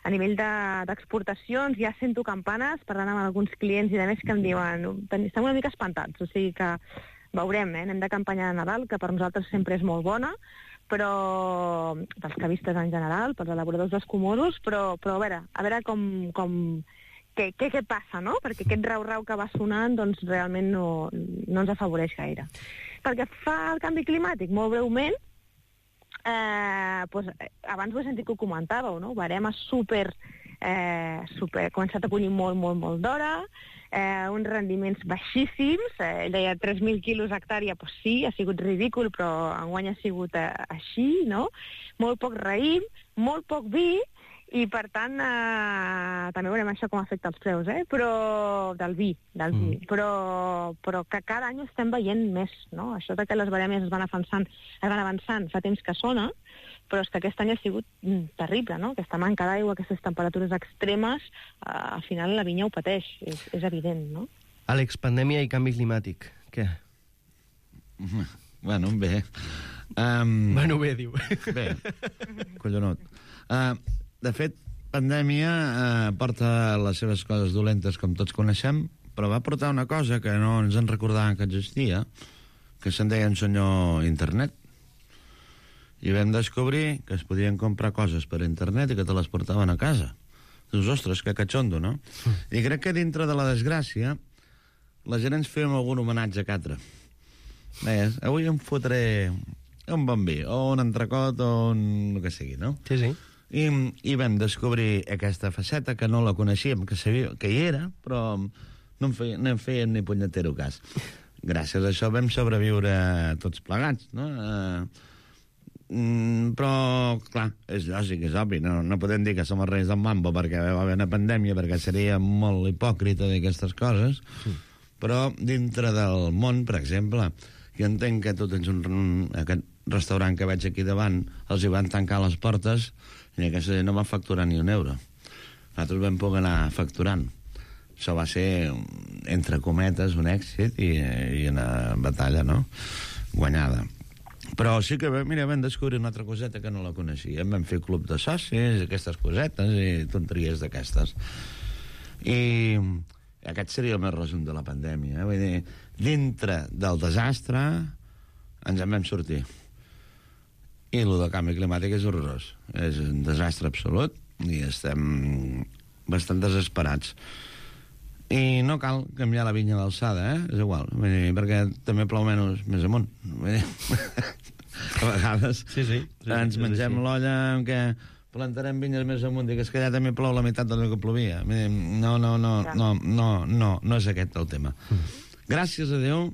A nivell d'exportacions, de, ja sento campanes, parlant amb alguns clients i de més que em diuen, estem una mica espantats, o sigui que veurem, eh? Anem de campanya de Nadal, que per nosaltres sempre és molt bona, però pels cavistes en general, pels elaboradors dels comoros, però, però a veure, a veure com, com què, què, què passa, no? Perquè aquest rau-rau que va sonant, doncs realment no, no ens afavoreix gaire. Pel que fa al canvi climàtic, molt breument, eh, doncs, abans ho he sentit que ho comentàveu, no? Barema super, eh, super, començat a collir molt, molt, molt d'hora, Eh, uns rendiments baixíssims, eh, ell deia tres mil quilos hectàrea, doncs sí, ha sigut ridícul, però enguany ha sigut eh, així, no? Molt poc raïm, molt poc vi, i per tant eh, també veurem això com afecta els preus, eh? Però del vi, del vi. Mm. Però, però que cada any estem veient més, no? Això de que les barèmies es van avançant, es van avançant fa temps que sona, però és que aquest any ha sigut mm, terrible, no? Aquesta manca d'aigua, aquestes temperatures extremes, eh, al final la vinya ho pateix, és, és evident, no? Àlex, pandèmia i canvi climàtic, què? Bueno, bé. Um... Bueno, bé, diu. Bé, collonot. Uh, de fet, pandèmia uh, porta les seves coses dolentes, com tots coneixem, però va portar una cosa que no ens en recordàvem que existia, que se'n deia un senyor internet. I vam descobrir que es podien comprar coses per internet i que te les portaven a casa. Dius, ostres, que catxondo, no? Mm. I crec que dintre de la desgràcia la gent ens fem algun homenatge a Catra. Veies, avui em fotré un bon vi, o un entrecot, o un... el que sigui, no? Sí, sí. I, i vam descobrir aquesta faceta que no la coneixíem, que sabia que hi era, però no en feien, no en feien ni punyetero cas. Gràcies a això vam sobreviure tots plegats, no? Eh, Mm, però, clar, és lògic, és obvi, no, no podem dir que som els reis del mambo perquè va haver una pandèmia, perquè seria molt hipòcrita d'aquestes coses, sí. Però dintre del món, per exemple, jo entenc que tu tens un, un, aquest restaurant que veig aquí davant, els hi van tancar les portes i aquesta no va facturar ni un euro. Nosaltres vam poder anar facturant. això va ser, entre cometes, un èxit i, i una batalla, no?, guanyada. Però sí que, mira, vam descobrir una altra coseta que no la coneixíem. Vam fer club de socis, aquestes cosetes i tonteries d'aquestes. I aquest seria el més resum de la pandèmia. Eh? Vull dir, dintre del desastre ens en vam sortir. I el del canvi climàtic és horrorós. És un desastre absolut i estem bastant desesperats. I no cal canviar la vinya d'alçada, eh? És igual, vull dir, perquè també plou menys més amunt. Vull dir, a vegades sí, sí, sí, ens sí, mengem sí. l'olla en què plantarem vinyes més amunt i que és que allà també plou la meitat del que plovia. Vull dir, no, no, no, no, no, no, no és aquest el tema. Gràcies a Déu,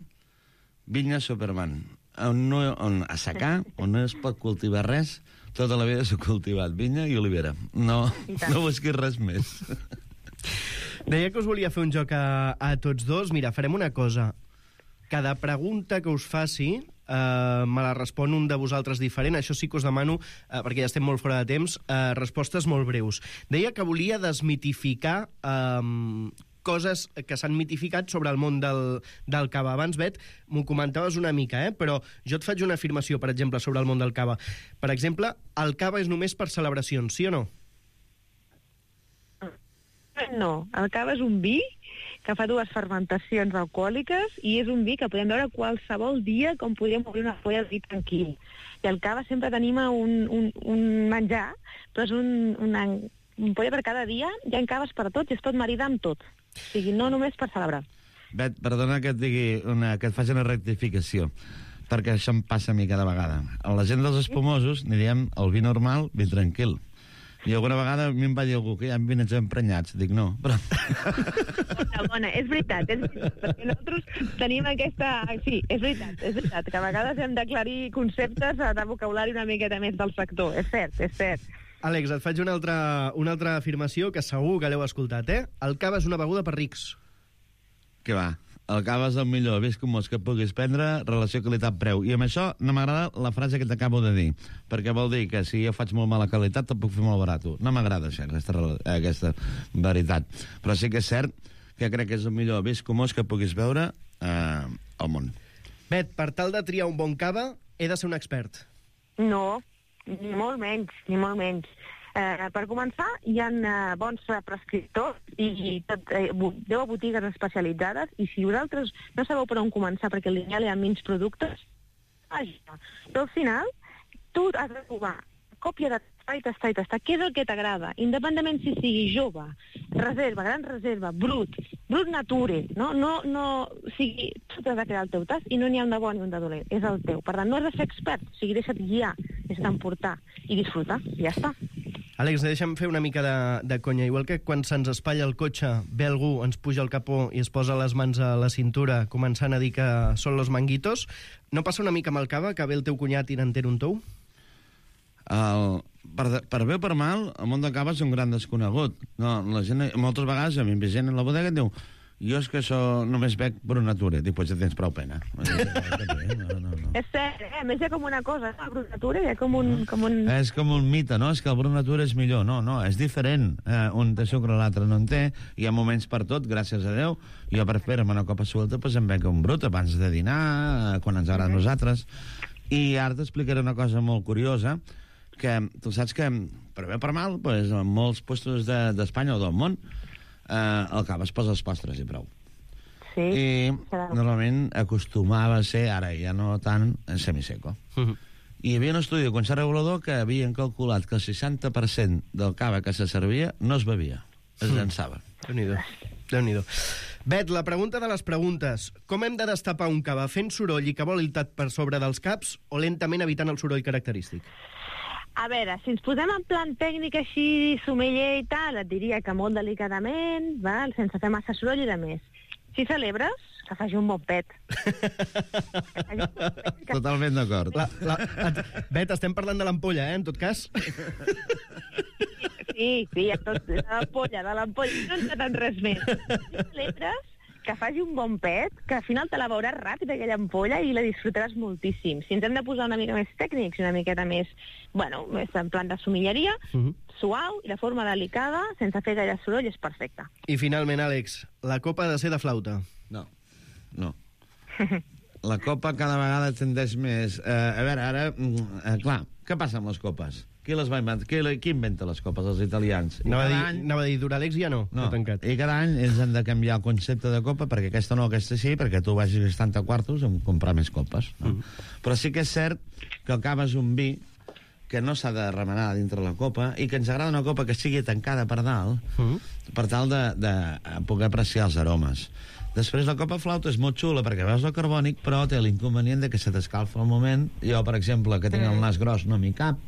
vinya Superman. On no, on a secar, on no es pot cultivar res, tota la vida s'ha cultivat vinya i olivera. No, no busquis res més. Deia que us volia fer un joc a, a tots dos. Mira, farem una cosa. Cada pregunta que us faci eh, me la respon un de vosaltres diferent. Això sí que us demano, eh, perquè ja estem molt fora de temps, eh, respostes molt breus. Deia que volia desmitificar eh, coses que s'han mitificat sobre el món del, del cava. Abans, Bet, m'ho comentaves una mica, eh? Però jo et faig una afirmació, per exemple, sobre el món del cava. Per exemple, el cava és només per celebracions, sí o no? No, el cava és un vi que fa dues fermentacions alcohòliques i és un vi que podem veure qualsevol dia com podríem obrir una folla de vi tranquil. I el cava sempre tenim un, un, un menjar, però és un, una, un polla per cada dia, hi ha caves per tots i es pot maridar amb tot. O sigui, no només per celebrar. Bet, perdona que et digui una, que et faci una rectificació, perquè això em passa a mi cada vegada. A la gent dels espumosos n'hi diem el vi normal, vi tranquil. I alguna vegada a mi em va dir algú que hi ha vins emprenyats. Dic, no, però... Bona, bona, és veritat, és veritat, perquè nosaltres tenim aquesta... Sí, és veritat, és veritat, que a vegades hem d'aclarir conceptes de vocabulari una miqueta més del sector. És cert, és cert. Àlex, et faig una altra, una altra afirmació que segur que l'heu escoltat, eh? El cava és una beguda per rics. Què va? El cava és el millor viscomós que puguis prendre, relació qualitat-preu. I amb això no m'agrada la frase que t'acabo de dir, perquè vol dir que si jo faig molt mala qualitat te'n puc fer molt barat. No m'agrada això, aquesta, aquesta veritat. Però sí que és cert que crec que és el millor viscomós que puguis veure eh, al món. Bet, per tal de triar un bon cava, he de ser un expert. No, ni molt menys, ni molt menys. Eh, per començar, hi ha eh, bons prescriptors i, i tot, eh, deu botigues especialitzades i si vosaltres no sabeu per on començar perquè al lineal hi ha menys productes, vaja. Però al final, tu has de trobar còpia de tastar i tastar i tastar. Què és el que t'agrada? Independentment si sigui jove, reserva, gran reserva, brut, brut nature, no? No, no, o sigui, tu t'has de crear el teu tast i no n'hi ha un de bon ni un de dolent, és el teu. Per tant, no has de ser expert, o sigui, deixa't guiar, deixa't emportar i disfrutar, i ja està. Àlex, deixa'm fer una mica de, de conya. Igual que quan se'ns espatlla el cotxe, ve algú, ens puja el capó i es posa les mans a la cintura començant a dir que són los manguitos, no passa una mica amb el cava, que ve el teu cunyat i n'entén un tou? El, per, per bé o per mal, el món del cava és un gran desconegut. No, la gent, moltes vegades, a mi em ve gent a la bodega i diu jo és que això només bec Brut Nature. Dic, pues ja tens prou pena. No, no, no. És cert, eh? A més hi ha com una cosa, no? El Brut Nature hi ha com un, com un... És com un mite, no? És que el Brut Nature és millor. No, no, és diferent. Eh, un té sucre, l'altre no en té. Hi ha moments per tot, gràcies a Déu. Jo per fer-me una copa suelta pues em bec un Brut abans de dinar, quan ens agrada a nosaltres. I ara t'explicaré una cosa molt curiosa, que tu saps que, per bé o per mal, pues, en molts puestos d'Espanya de, o del món, eh, el cava es posa als postres i prou. Sí. I normalment acostumava a ser, ara ja no tant, semiseco. Uh -huh. I hi havia un estudi de concert regulador que havien calculat que el seixanta per cent del cava que se servia no es bevia, es llançava. Mm. Déu-n'hi-do. Déu-n'hi-do. Bet, la pregunta de les preguntes. Com hem de destapar un cava? Fent soroll i que voli el tat per sobre dels caps o lentament evitant el soroll característic? A veure, si ens posem en plan tècnic així, sommelier i tal, et diria que molt delicadament, val? Sense fer massa soroll i de més. Si celebres, que faci un bon pet. Totalment d'acord. La, la, Bet, estem parlant de l'ampolla, eh, en tot cas? Sí, sí, tot, de l'ampolla, de l'ampolla. No ens en res més. Si celebres, que faci un bon pet, que al final te la veuràs ràpid, aquella ampolla, i la disfrutaràs moltíssim. Si ens hem de posar una mica més tècnics, una miqueta més, bueno, més en plan de somilleria, uh-huh. suau i de forma delicada, sense fer gaire soroll, és perfecte. I finalment, Àlex, la copa ha de ser de flauta. No, no. La copa cada vegada tendeix més... Eh, a veure, ara, eh, clar, què passa amb les copes? Qui les va inventar? Qui, qui inventa les copes? Els italians. I anava, a dir, any... anava a dir, Duralex ja no, no. no tancat. I cada any ells han de canviar el concepte de copa, perquè aquesta no, aquesta sí, perquè tu vagis gastant a quartos en comprar més copes. No? Mm. Però sí que és cert que el cava és un vi que no s'ha de remenar dintre la copa i que ens agrada una copa que sigui tancada per dalt mm. per tal de, de poder apreciar els aromes. Després, la copa flauta és molt xula perquè veus el carbònic, però té l'inconvenient de que se t'escalfa al moment. Jo, per exemple, que tinc el nas gros, no m'hi cap,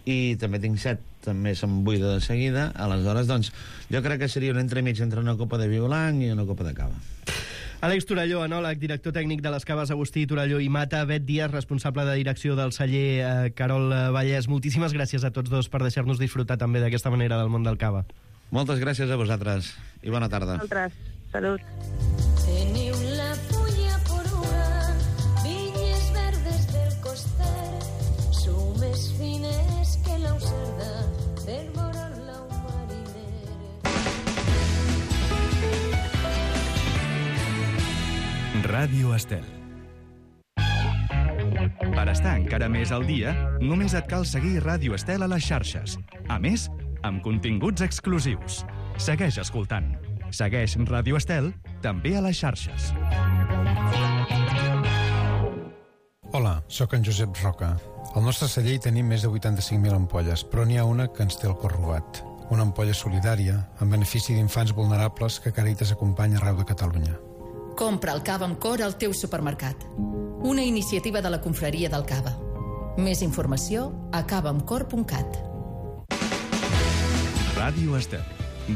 i també tinc set, també se'm buida de seguida. Aleshores, doncs, jo crec que seria un entremig entre una copa de vi blanc i una copa de cava. Àlex Torelló, enòleg, director tècnic de les caves Agustí, Torelló i Mata. Bet Díaz, responsable de direcció del celler eh, Carol Vallès. Moltíssimes gràcies a tots dos per deixar-nos disfrutar també d'aquesta manera del món del cava. Moltes gràcies a vosaltres i bona tarda. Vosaltres. Salut. Teniu la fulla poruna, vinyes verdes del coster, sou més fines que l'aucerda del moral un mariner. Ràdio Estel. Per estar encara més al dia, només et cal seguir Ràdio Estel a les xarxes. A més, amb continguts exclusius. Segueix escoltant. Segueix Ràdio Estel també a les xarxes. Hola, sóc en Josep Roca. Al nostre celler hi tenim més de vuitanta-cinc mil ampolles, però n'hi ha una que ens té el cor robat. Una ampolla solidària en benefici d'infants vulnerables que Càritas acompanya arreu de Catalunya. Compra el cava amb cor al teu supermercat. Una iniciativa de la Confraria del Cava. Més informació a cava amb cor punt cat. Ràdio Estel.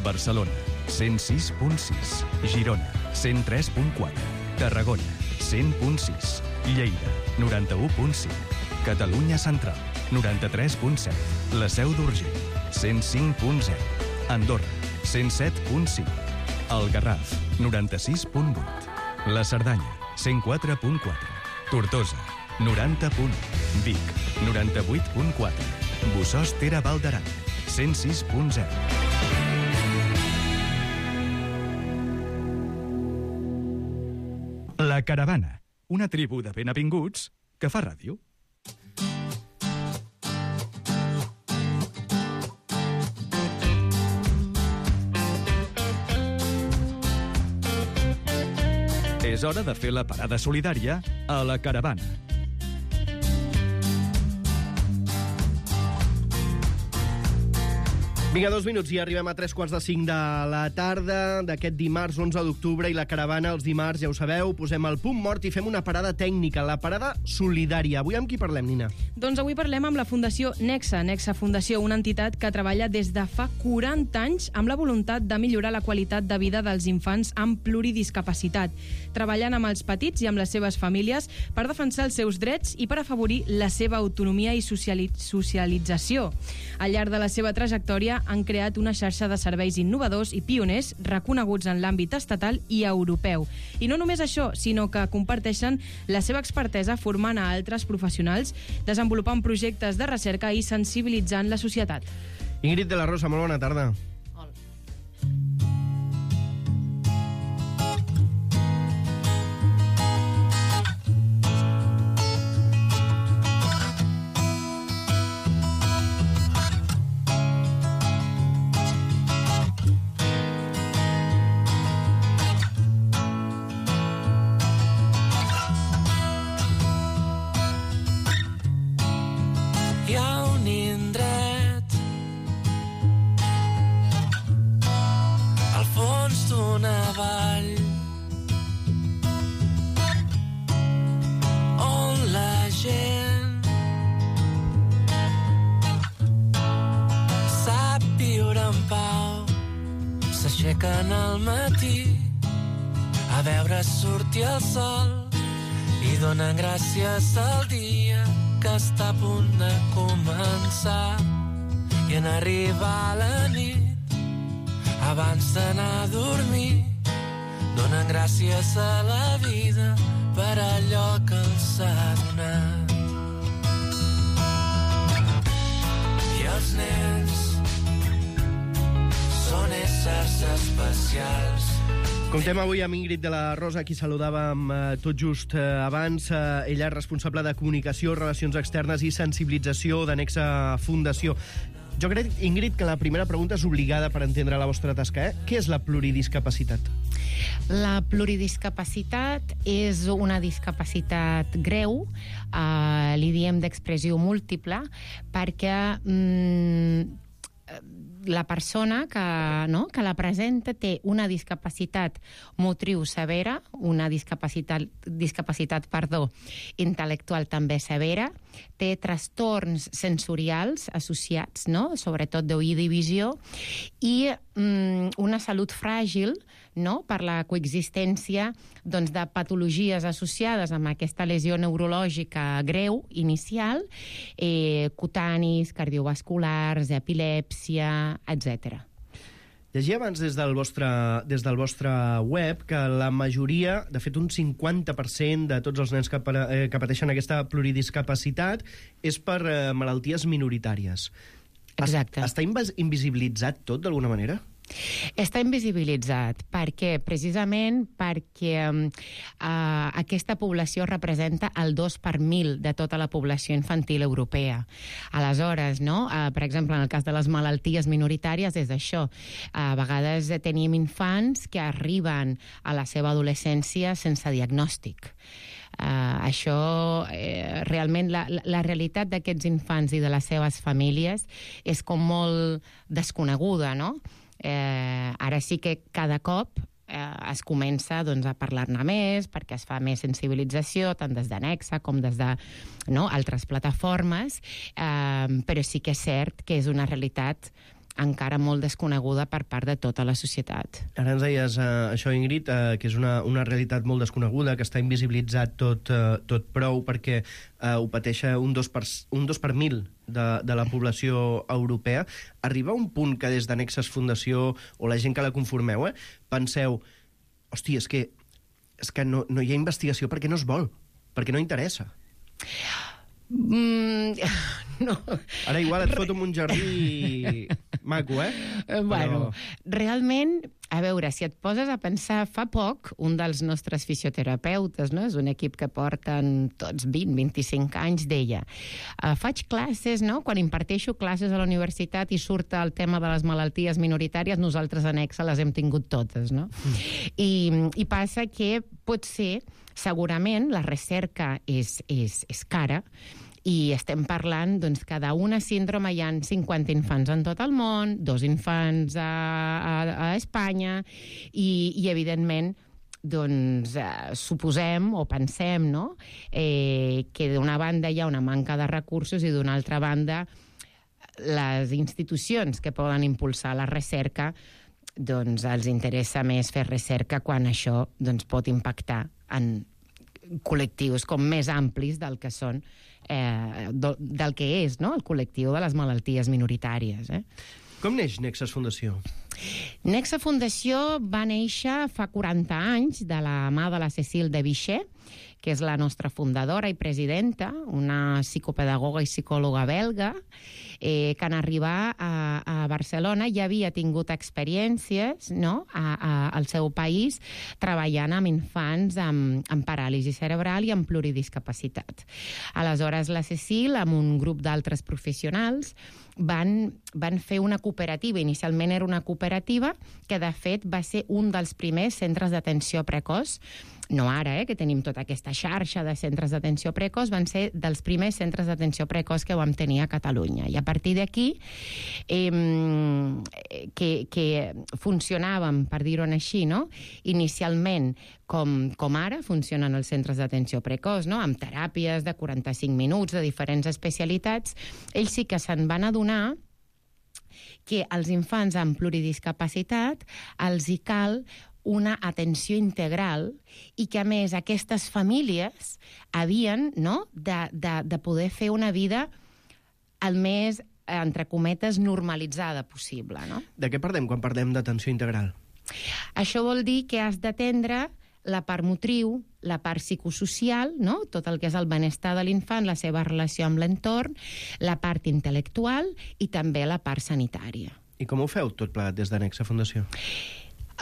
Barcelona, cent sis punt sis. Girona, cent tres punt quatre. Tarragona, cent punt sis. Lleida, noranta-u punt cinc. Catalunya Central, noranta-tres punt set. La Seu d'Urgell, cent cinc punt zero. Andorra, cent set punt cinc. El Garraf, noranta-sis punt vuit. La Cerdanya, cent quatre punt quatre. Tortosa, noranta punt u. Vic, noranta-vuit punt quatre. Bossòst Ter Val d'Aran, cent sis punt zero. La Caravana, una tribu de benavinguts que fa ràdio. És hora de fer la parada solidària a La Caravana. Vinga, dos minuts i arribem a tres quarts de cinc de la tarda d'aquest dimarts onze d'octubre i La Caravana els dimarts, ja ho sabeu, posem el punt mort i fem una parada tècnica, la parada solidària. Avui amb qui parlem, Nina? Doncs avui parlem amb la Fundació Nexa. Nexa Fundació, una entitat que treballa des de fa quaranta anys amb la voluntat de millorar la qualitat de vida dels infants amb pluridiscapacitat, treballant amb els petits i amb les seves famílies per defensar els seus drets i per afavorir la seva autonomia i sociali- socialització. Al llarg de la seva trajectòria han creat una xarxa de serveis innovadors i pioners reconeguts en l'àmbit estatal i europeu. I no només això, sinó que comparteixen la seva expertesa formant a altres professionals, desenvolupant projectes de recerca i sensibilitzant la societat. Ingrid de la Rosa, molt bona tarda. S'aixequen al matí a veure sortir el sol i donen gràcies al dia que està a punt de començar. I en arribar la nit, abans d'anar a dormir, donen gràcies a la vida per allò que els ha donat. I els nens són éssers especials. Comptem avui amb Ingrid de la Rosa, qui saludàvem eh, tot just eh, abans. Eh, ella és responsable de comunicació, relacions externes i sensibilització de Nexa Fundació. Jo crec, Ingrid, que la primera pregunta és obligada per entendre la vostra tasca. Eh? Què és la pluridiscapacitat? La pluridiscapacitat és una discapacitat greu, eh, li diem d'expressió múltiple, perquè mm, la persona que, no, que la presenta té una discapacitat motriu severa, una discapacitat, discapacitat perdó, intel·lectual també severa, té trastorns sensorials associats, no? Sobretot d'oïda i visió, i mm, una salut fràgil, no? Per la coexistència doncs, de patologies associades amb aquesta lesió neurològica greu inicial, eh, cutanis, cardiovasculars, epilèpsia, etcètera. Llegia abans des del, vostre, des del vostre web que la majoria, de fet un cinquanta per cent de tots els nens que, eh, que pateixen aquesta pluridiscapacitat és per eh, malalties minoritàries. Exacte. Està invisibilitzat tot d'alguna manera? Està invisibilitzat perquè, precisament perquè eh, aquesta població representa el dos per mil de tota la població infantil europea. Aleshores, no? Eh, per exemple, en el cas de les malalties minoritàries és això. A vegades tenim infants que arriben a la seva adolescència sense diagnòstic. Uh, això, eh, realment, la, la realitat d'aquests infants i de les seves famílies és com molt desconeguda, no? Eh, ara sí que cada cop eh, es comença doncs, a parlar-ne més, perquè es fa més sensibilització, tant des de Nexa com des de no, altres plataformes, eh, però sí que és cert que és una realitat encara molt desconeguda per part de tota la societat. Ara ens deies eh, això, Ingrid, eh, que és una, una realitat molt desconeguda, que està invisibilitzat tot, eh, tot prou, perquè eh, ho pateix un dos per, un dos per mil de, de la població europea. Arriba un punt que des de Nexes Fundació, o la gent que la conformeu, eh, penseu, hòstia, és que, és que no, no hi ha investigació perquè no es vol, perquè no interessa. Mm, no. Ara igual et foto en un jardí maco, eh? Bueno, Però... realment, a veure, si et poses a pensar, fa poc, un dels nostres fisioterapeutes, no? És un equip que porten tots vint, vint-i-cinc anys, deia, uh, faig classes, no? Quan imparteixo classes a la universitat i surt el tema de les malalties minoritàries, nosaltres a Nexa les hem tingut totes, no? Mm. I, I passa que potser, segurament, la recerca és, és, és cara, i estem parlant doncs, que d'una síndrome hi ha cinquanta infants en tot el món, dos infants a, a, a Espanya, i, i evidentment, doncs, eh, suposem o pensem, no?, eh, que d'una banda hi ha una manca de recursos i d'una altra banda les institucions que poden impulsar la recerca doncs els interessa més fer recerca quan això doncs, pot impactar en col·lectius com més amplis del que són eh, del que és, no?, el col·lectiu de les malalties minoritàries. Eh? Com neix Nexes Fundació? Nexa Fundació va néixer fa quaranta anys de la mà de la Cécile de Vichy, que és la nostra fundadora i presidenta, una psicopedagoga i psicòloga belga, eh, que en arribar a, a Barcelona ja havia tingut experiències, no?, a, a, al seu país treballant amb infants amb, amb paràlisi cerebral i amb pluridiscapacitat. Aleshores, la Cécile, amb un grup d'altres professionals, van, van fer una cooperativa. Inicialment era una cooperativa que, de fet, va ser un dels primers centres d'atenció precoç. No ara, eh, que tenim tota aquesta xarxa de centres d'atenció precoç, van ser dels primers centres d'atenció precoç que vam tenir a Catalunya. I a partir d'aquí, eh, que, que funcionàvem, per dir-ho així, no?, inicialment, com, com ara funcionen els centres d'atenció precoç, no?, amb teràpies de quaranta-cinc minuts, de diferents especialitats, ells sí que se'n van adonar que als infants amb pluridiscapacitat els hi cal una atenció integral i que, a més, aquestes famílies havien, no?, de, de, de poder fer una vida el més, entre cometes, normalitzada possible, no? De què parlem quan parlem d'atenció integral? Això vol dir que has d'atendre la part motriu, la part psicosocial, no? Tot el que és el benestar de l'infant, la seva relació amb l'entorn, la part intel·lectual i també la part sanitària. I com ho feu tot plegat des d'Anexa Fundació?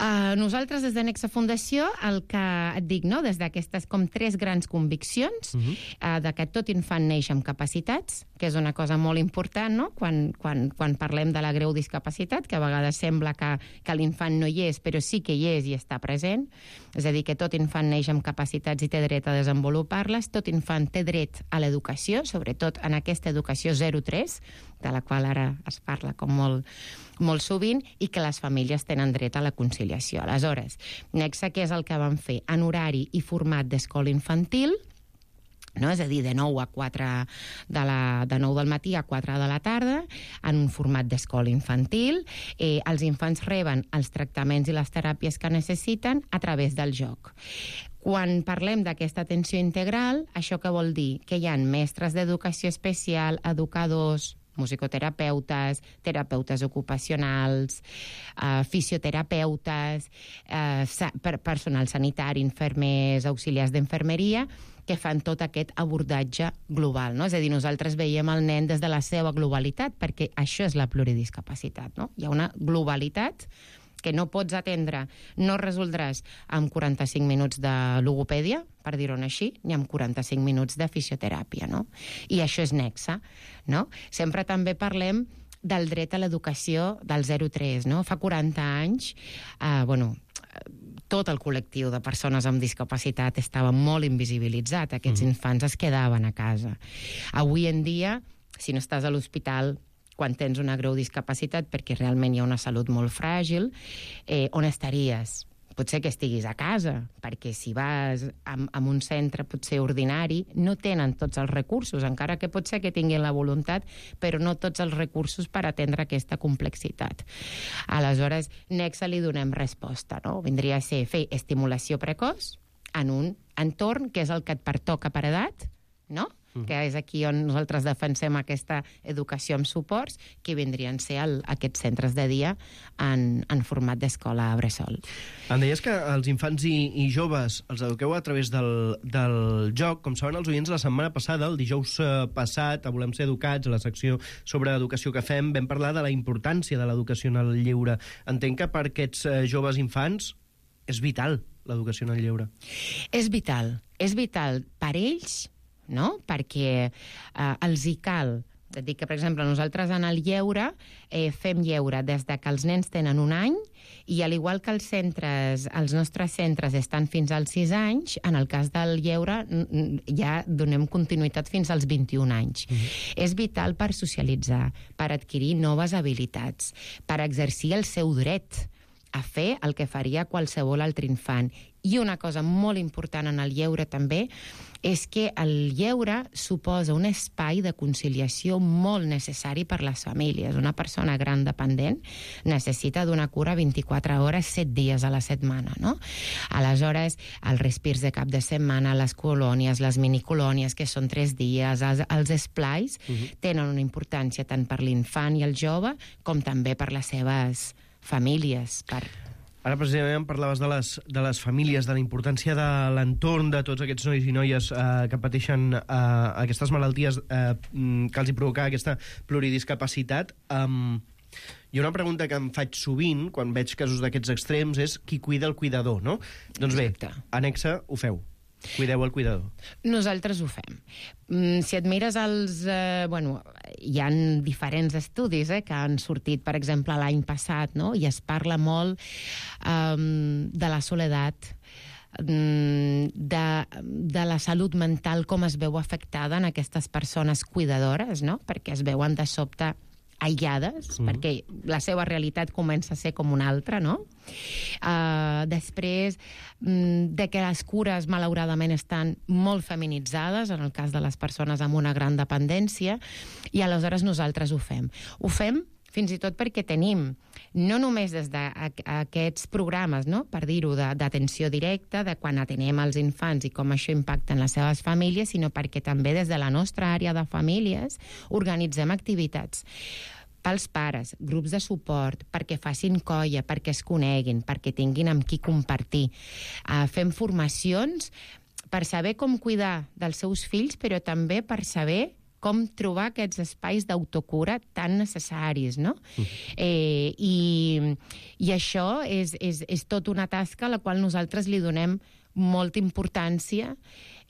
Uh, nosaltres des d'Anexa Fundació el que et dic, no? Des d'aquestes com tres grans conviccions, uh-huh. uh, de que tot infant neix amb capacitats, que és una cosa molt important, no? Quan, quan, quan parlem de la greu discapacitat, que a vegades sembla que, que l'infant no hi és, però sí que hi és i està present. És a dir, que tot infant neix amb capacitats i té dret a desenvolupar-les, tot infant té dret a l'educació, sobretot en aquesta educació zero tres, de la qual ara es parla com molt, molt sovint, i que les famílies tenen dret a la conciliació. Aleshores, Nexa, què és el que vam fer? En horari i format d'escola infantil, no? És a dir, de nou a quatre de, la, de nou del matí a quatre de la tarda, en un format d'escola infantil. Eh, els infants reben els tractaments i les teràpies que necessiten a través del joc. Quan parlem d'aquesta atenció integral, això què vol dir? Que hi ha mestres d'educació especial, educadors, musicoterapeutes, terapeutes ocupacionals, eh, fisioterapeutes, eh, sa- per personal sanitari, infermers, auxiliars d'infermeria, que fan tot aquest abordatge global, no? És a dir, nosaltres veiem el nen des de la seva globalitat, perquè això és la pluridiscapacitat, no? Hi ha una globalitat que no pots atendre, no resoldràs amb quaranta-cinc minuts de logopèdia, per dir-ho així, ni amb quaranta-cinc minuts de fisioteràpia, no? I això és Nexa, no? Sempre també parlem del dret a l'educació del zero tres, no? Fa quaranta anys, eh, bueno, tot el col·lectiu de persones amb discapacitat estava molt invisibilitzat, aquests mm. infants es quedaven a casa. Avui en dia, si no estàs a l'hospital quan tens una greu discapacitat, perquè realment hi ha una salut molt fràgil, eh, on estaries? Potser que estiguis a casa, perquè si vas a, a un centre potser ordinari, no tenen tots els recursos, encara que pot ser que tinguin la voluntat, però no tots els recursos per atendre aquesta complexitat. Aleshores, Nexa li donem resposta, no? Vindria a ser fer estimulació precoç en un entorn que és el que et pertoca per edat, no? Mm. Que és aquí on nosaltres defensem aquesta educació amb suports, que vindrien a ser el, aquests centres de dia en, en format d'escola bressol. Em deies que els infants i, i joves els eduqueu a través del, del joc. Com saben els oients, la setmana passada, el dijous passat, a Volem ser educats, a la secció sobre educació que fem, vam parlar de la importància de l'educació en el lleure. Entenc que per aquests joves infants és vital l'educació en el lleure. És vital. És vital per ells, no? Perquè eh, els hi cal. Et dic que, per exemple, nosaltres en el lleure eh, fem lleure des de que els nens tenen un any i, al igual que els centres, els nostres centres estan fins als sis anys, en el cas del lleure ja donem continuïtat fins als vint-i-un anys. Mm-hmm. És vital per socialitzar, per adquirir noves habilitats, per exercir el seu dret a fer el que faria qualsevol altre infant. I una cosa molt important en el lleure també és que el lleure suposa un espai de conciliació molt necessari per les famílies. Una persona gran dependent necessita d'una cura vint-i-quatre hores, set dies a la setmana, no? Aleshores, els respirs de cap de setmana, les colònies, les minicolònies, que són tres dies, els, els esplais, uh-huh. tenen una importància tant per l'infant i el jove com també per les seves famílies, per... Ara precisament parlaves de les, de les famílies, de la importància de l'entorn de tots aquests nois i noies eh, que pateixen eh, aquestes malalties eh, que els hi provoca aquesta pluridiscapacitat. Um, hi ha una pregunta que em faig sovint quan veig casos d'aquests extrems, és qui cuida el cuidador, no? Doncs bé, Anexa, ho feu. Cuideu el cuidador. Nosaltres ho fem. Mm, si et mires els... Eh, bueno, hi ha diferents estudis eh, que han sortit, per exemple, l'any passat, no? I es parla molt eh, de la soledat, de, de la salut mental, com es veu afectada en aquestes persones cuidadores, no? Perquè es veuen de sobte aïllades, mm. perquè la seva realitat comença a ser com una altra, no? Uh, després mm, de que les cures, malauradament, estan molt feminitzades, en el cas de les persones amb una gran dependència, i aleshores nosaltres ho fem. Ho fem fins i tot perquè tenim, no només des d'aquests programes, no? Per dir-ho, d'atenció directa, de quan atenem els infants i com això impacta en les seves famílies, sinó perquè també des de la nostra àrea de famílies organitzem activitats pels pares, grups de suport, perquè facin colla, perquè es coneguin, perquè tinguin amb qui compartir. Uh, fem formacions per saber com cuidar dels seus fills, però també per saber com trobar aquests espais d'autocura tan necessaris, no? Uh-huh. Eh, i, I això és, és, és tot una tasca a la qual nosaltres li donem molta importància,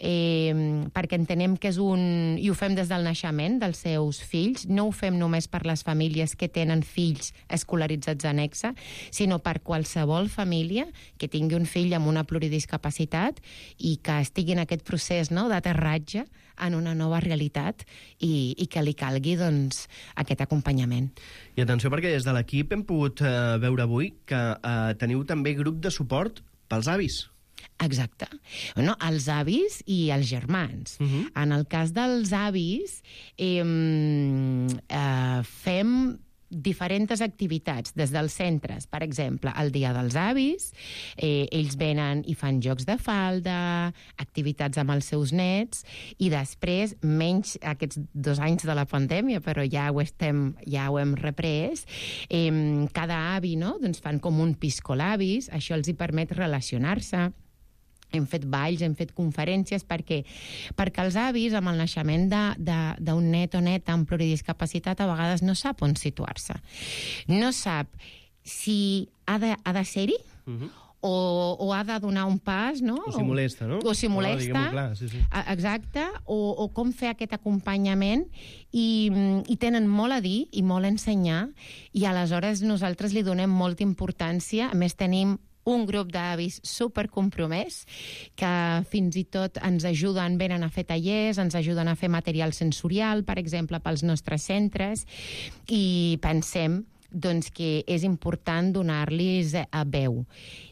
eh, perquè entenem que és un... i ho fem des del naixement dels seus fills, no ho fem només per les famílies que tenen fills escolaritzats a Nexe, sinó per qualsevol família que tingui un fill amb una pluridiscapacitat i que estigui en aquest procés, no?, d'aterratge en una nova realitat i, i que li calgui, doncs, aquest acompanyament. I atenció, perquè des de l'equip hem pogut eh, veure avui que eh, teniu també grup de suport pels avis. Exacte. No, els avis i els germans. Uh-huh. En el cas dels avis, eh, eh, fem diferents activitats des dels centres. Per exemple, el Dia dels Avis, eh, ells venen i fan jocs de falda, activitats amb els seus nets, i després, menys aquests dos anys de la pandèmia, però ja ho, estem, ja ho hem reprès, eh, cada avi, no?, doncs fan com un piscolabis, això els hi permet relacionar-se. Hem fet balls, hem fet conferències, perquè, perquè els avis, amb el naixement d'un net o neta amb pluridiscapacitat, a vegades no sap on situar-se. No sap si ha de, ha de ser-hi, uh-huh. o, o ha de donar un pas, no? O si molesta, no? O si molesta, oh, clar, sí, sí. Exacte, o, o com fer aquest acompanyament, i, i tenen molt a dir i molt a ensenyar, i aleshores nosaltres li donem molta importància. A més, tenim un grup d'avis supercompromès que fins i tot ens ajuden, venen a fer tallers, ens ajuden a fer material sensorial, per exemple, pels nostres centres, i pensem, doncs, que és important donar-los a veu.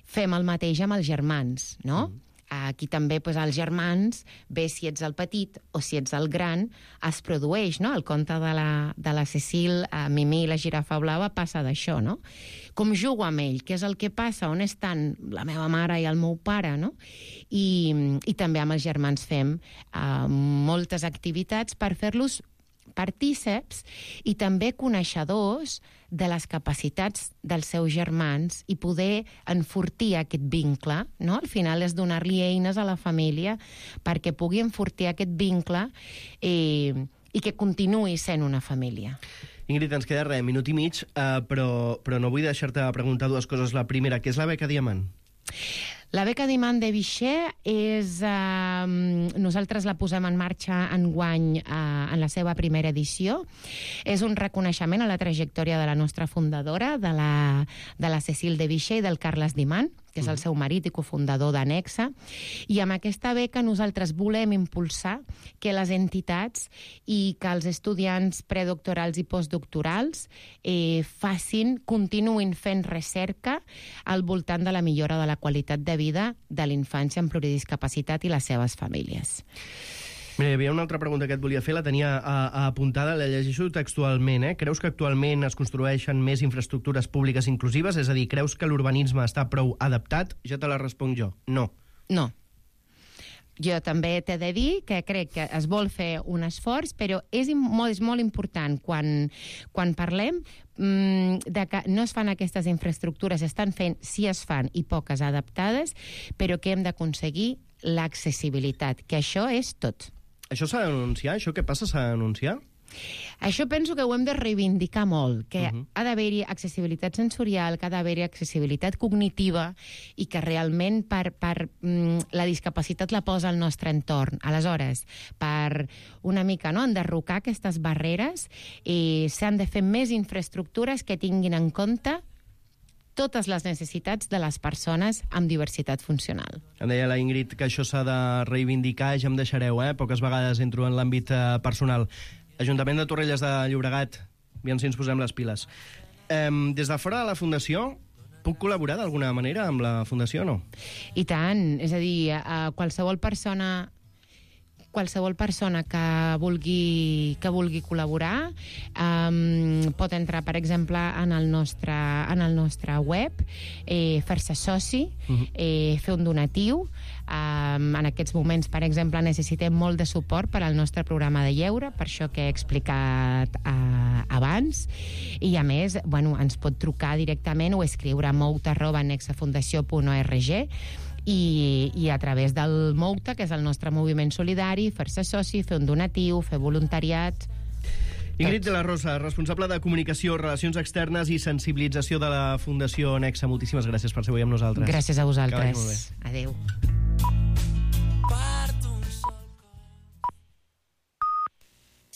Fem el mateix amb els germans, no? Mm. Aquí també, doncs, els germans, bé si ets el petit o si ets el gran, es produeix, no? El conte de la, de la Cecil, a Mimí i la girafa blava, passa d'això, no? Com jugo amb ell, què és el que passa, on estan la meva mare i el meu pare, no? I, i també amb els germans fem uh, moltes activitats per fer-los partíceps i també coneixedors de les capacitats dels seus germans i poder enfortir aquest vincle, no? Al final és donar-li eines a la família perquè pugui enfortir aquest vincle eh, i que continuï sent una família. Ingrid, ens queda res, minut i mig, eh, però, però no vull deixar-te preguntar dues coses. La primera, què és la beca Diamant? La beca Diamant de Vichy és... Eh, nosaltres la posem en marxa enguany eh, en la seva primera edició. És un reconeixement a la trajectòria de la nostra fundadora, de la, de la Cecil de Vichy i del Carles Diamant, que és el seu marit i cofundador de Nexe. I amb aquesta beca nosaltres volem impulsar que les entitats i que els estudiants predoctorals i postdoctorals eh, facin, continuïn fent recerca al voltant de la millora de la qualitat de vida de l'infància amb pluridiscapacitat i les seves famílies. Mira, hi havia una altra pregunta que et volia fer, la tenia a, a apuntada, la llegeixo textualment. Eh? Creus que actualment es construeixen més infraestructures públiques inclusives? És a dir, creus que l'urbanisme està prou adaptat? Ja te la responc jo. No. No. Jo també t'he de dir que crec que es vol fer un esforç, però és molt, és molt important quan, quan parlem mmm, de que no es fan aquestes infraestructures, estan fent, sí es fan, i poques adaptades, però que hem d'aconseguir l'accessibilitat, que això és tot. Això s'ha de denunciar? Això què passa s'ha de denunciar? Això penso que ho hem de reivindicar molt, que uh-huh. ha d'haver-hi accessibilitat sensorial, que ha d'haver-hi accessibilitat cognitiva i que realment per, per mm, la discapacitat la posa al nostre entorn. Aleshores, per una mica no, enderrocar aquestes barreres, eh, s'han de fer més infraestructures que tinguin en compte totes les necessitats de les persones amb diversitat funcional. Em deia la Ingrid que això s'ha de reivindicar, ja em deixareu, eh? Poques vegades entro en l'àmbit eh, personal. Ajuntament de Torrelles de Llobregat, aviam si ens posem les piles. Eh, des de fora de la Fundació, puc col·laborar d'alguna manera amb la Fundació o no? I tant, és a dir, a qualsevol persona qualsevol persona que vulgui, que vulgui col·laborar um, pot entrar, per exemple, en el nostre, en el nostre web, eh, fer-se soci, uh-huh. eh, fer un donatiu. Um, en aquests moments, per exemple, necessitem molt de suport per al nostre programa de lleure, per això que he explicat uh, abans, i a més, bueno, ens pot trucar directament o escriure a mouta arroba nexafundació punt org i, i a través del Mouta, que és el nostre moviment solidari, fer-se soci, fer un donatiu, fer voluntariat... Ingrid de la Rosa, responsable de comunicació, relacions externes i sensibilització de la Fundació Nexa. Moltíssimes gràcies per ser avui amb nosaltres. Gràcies a vosaltres. Adéu.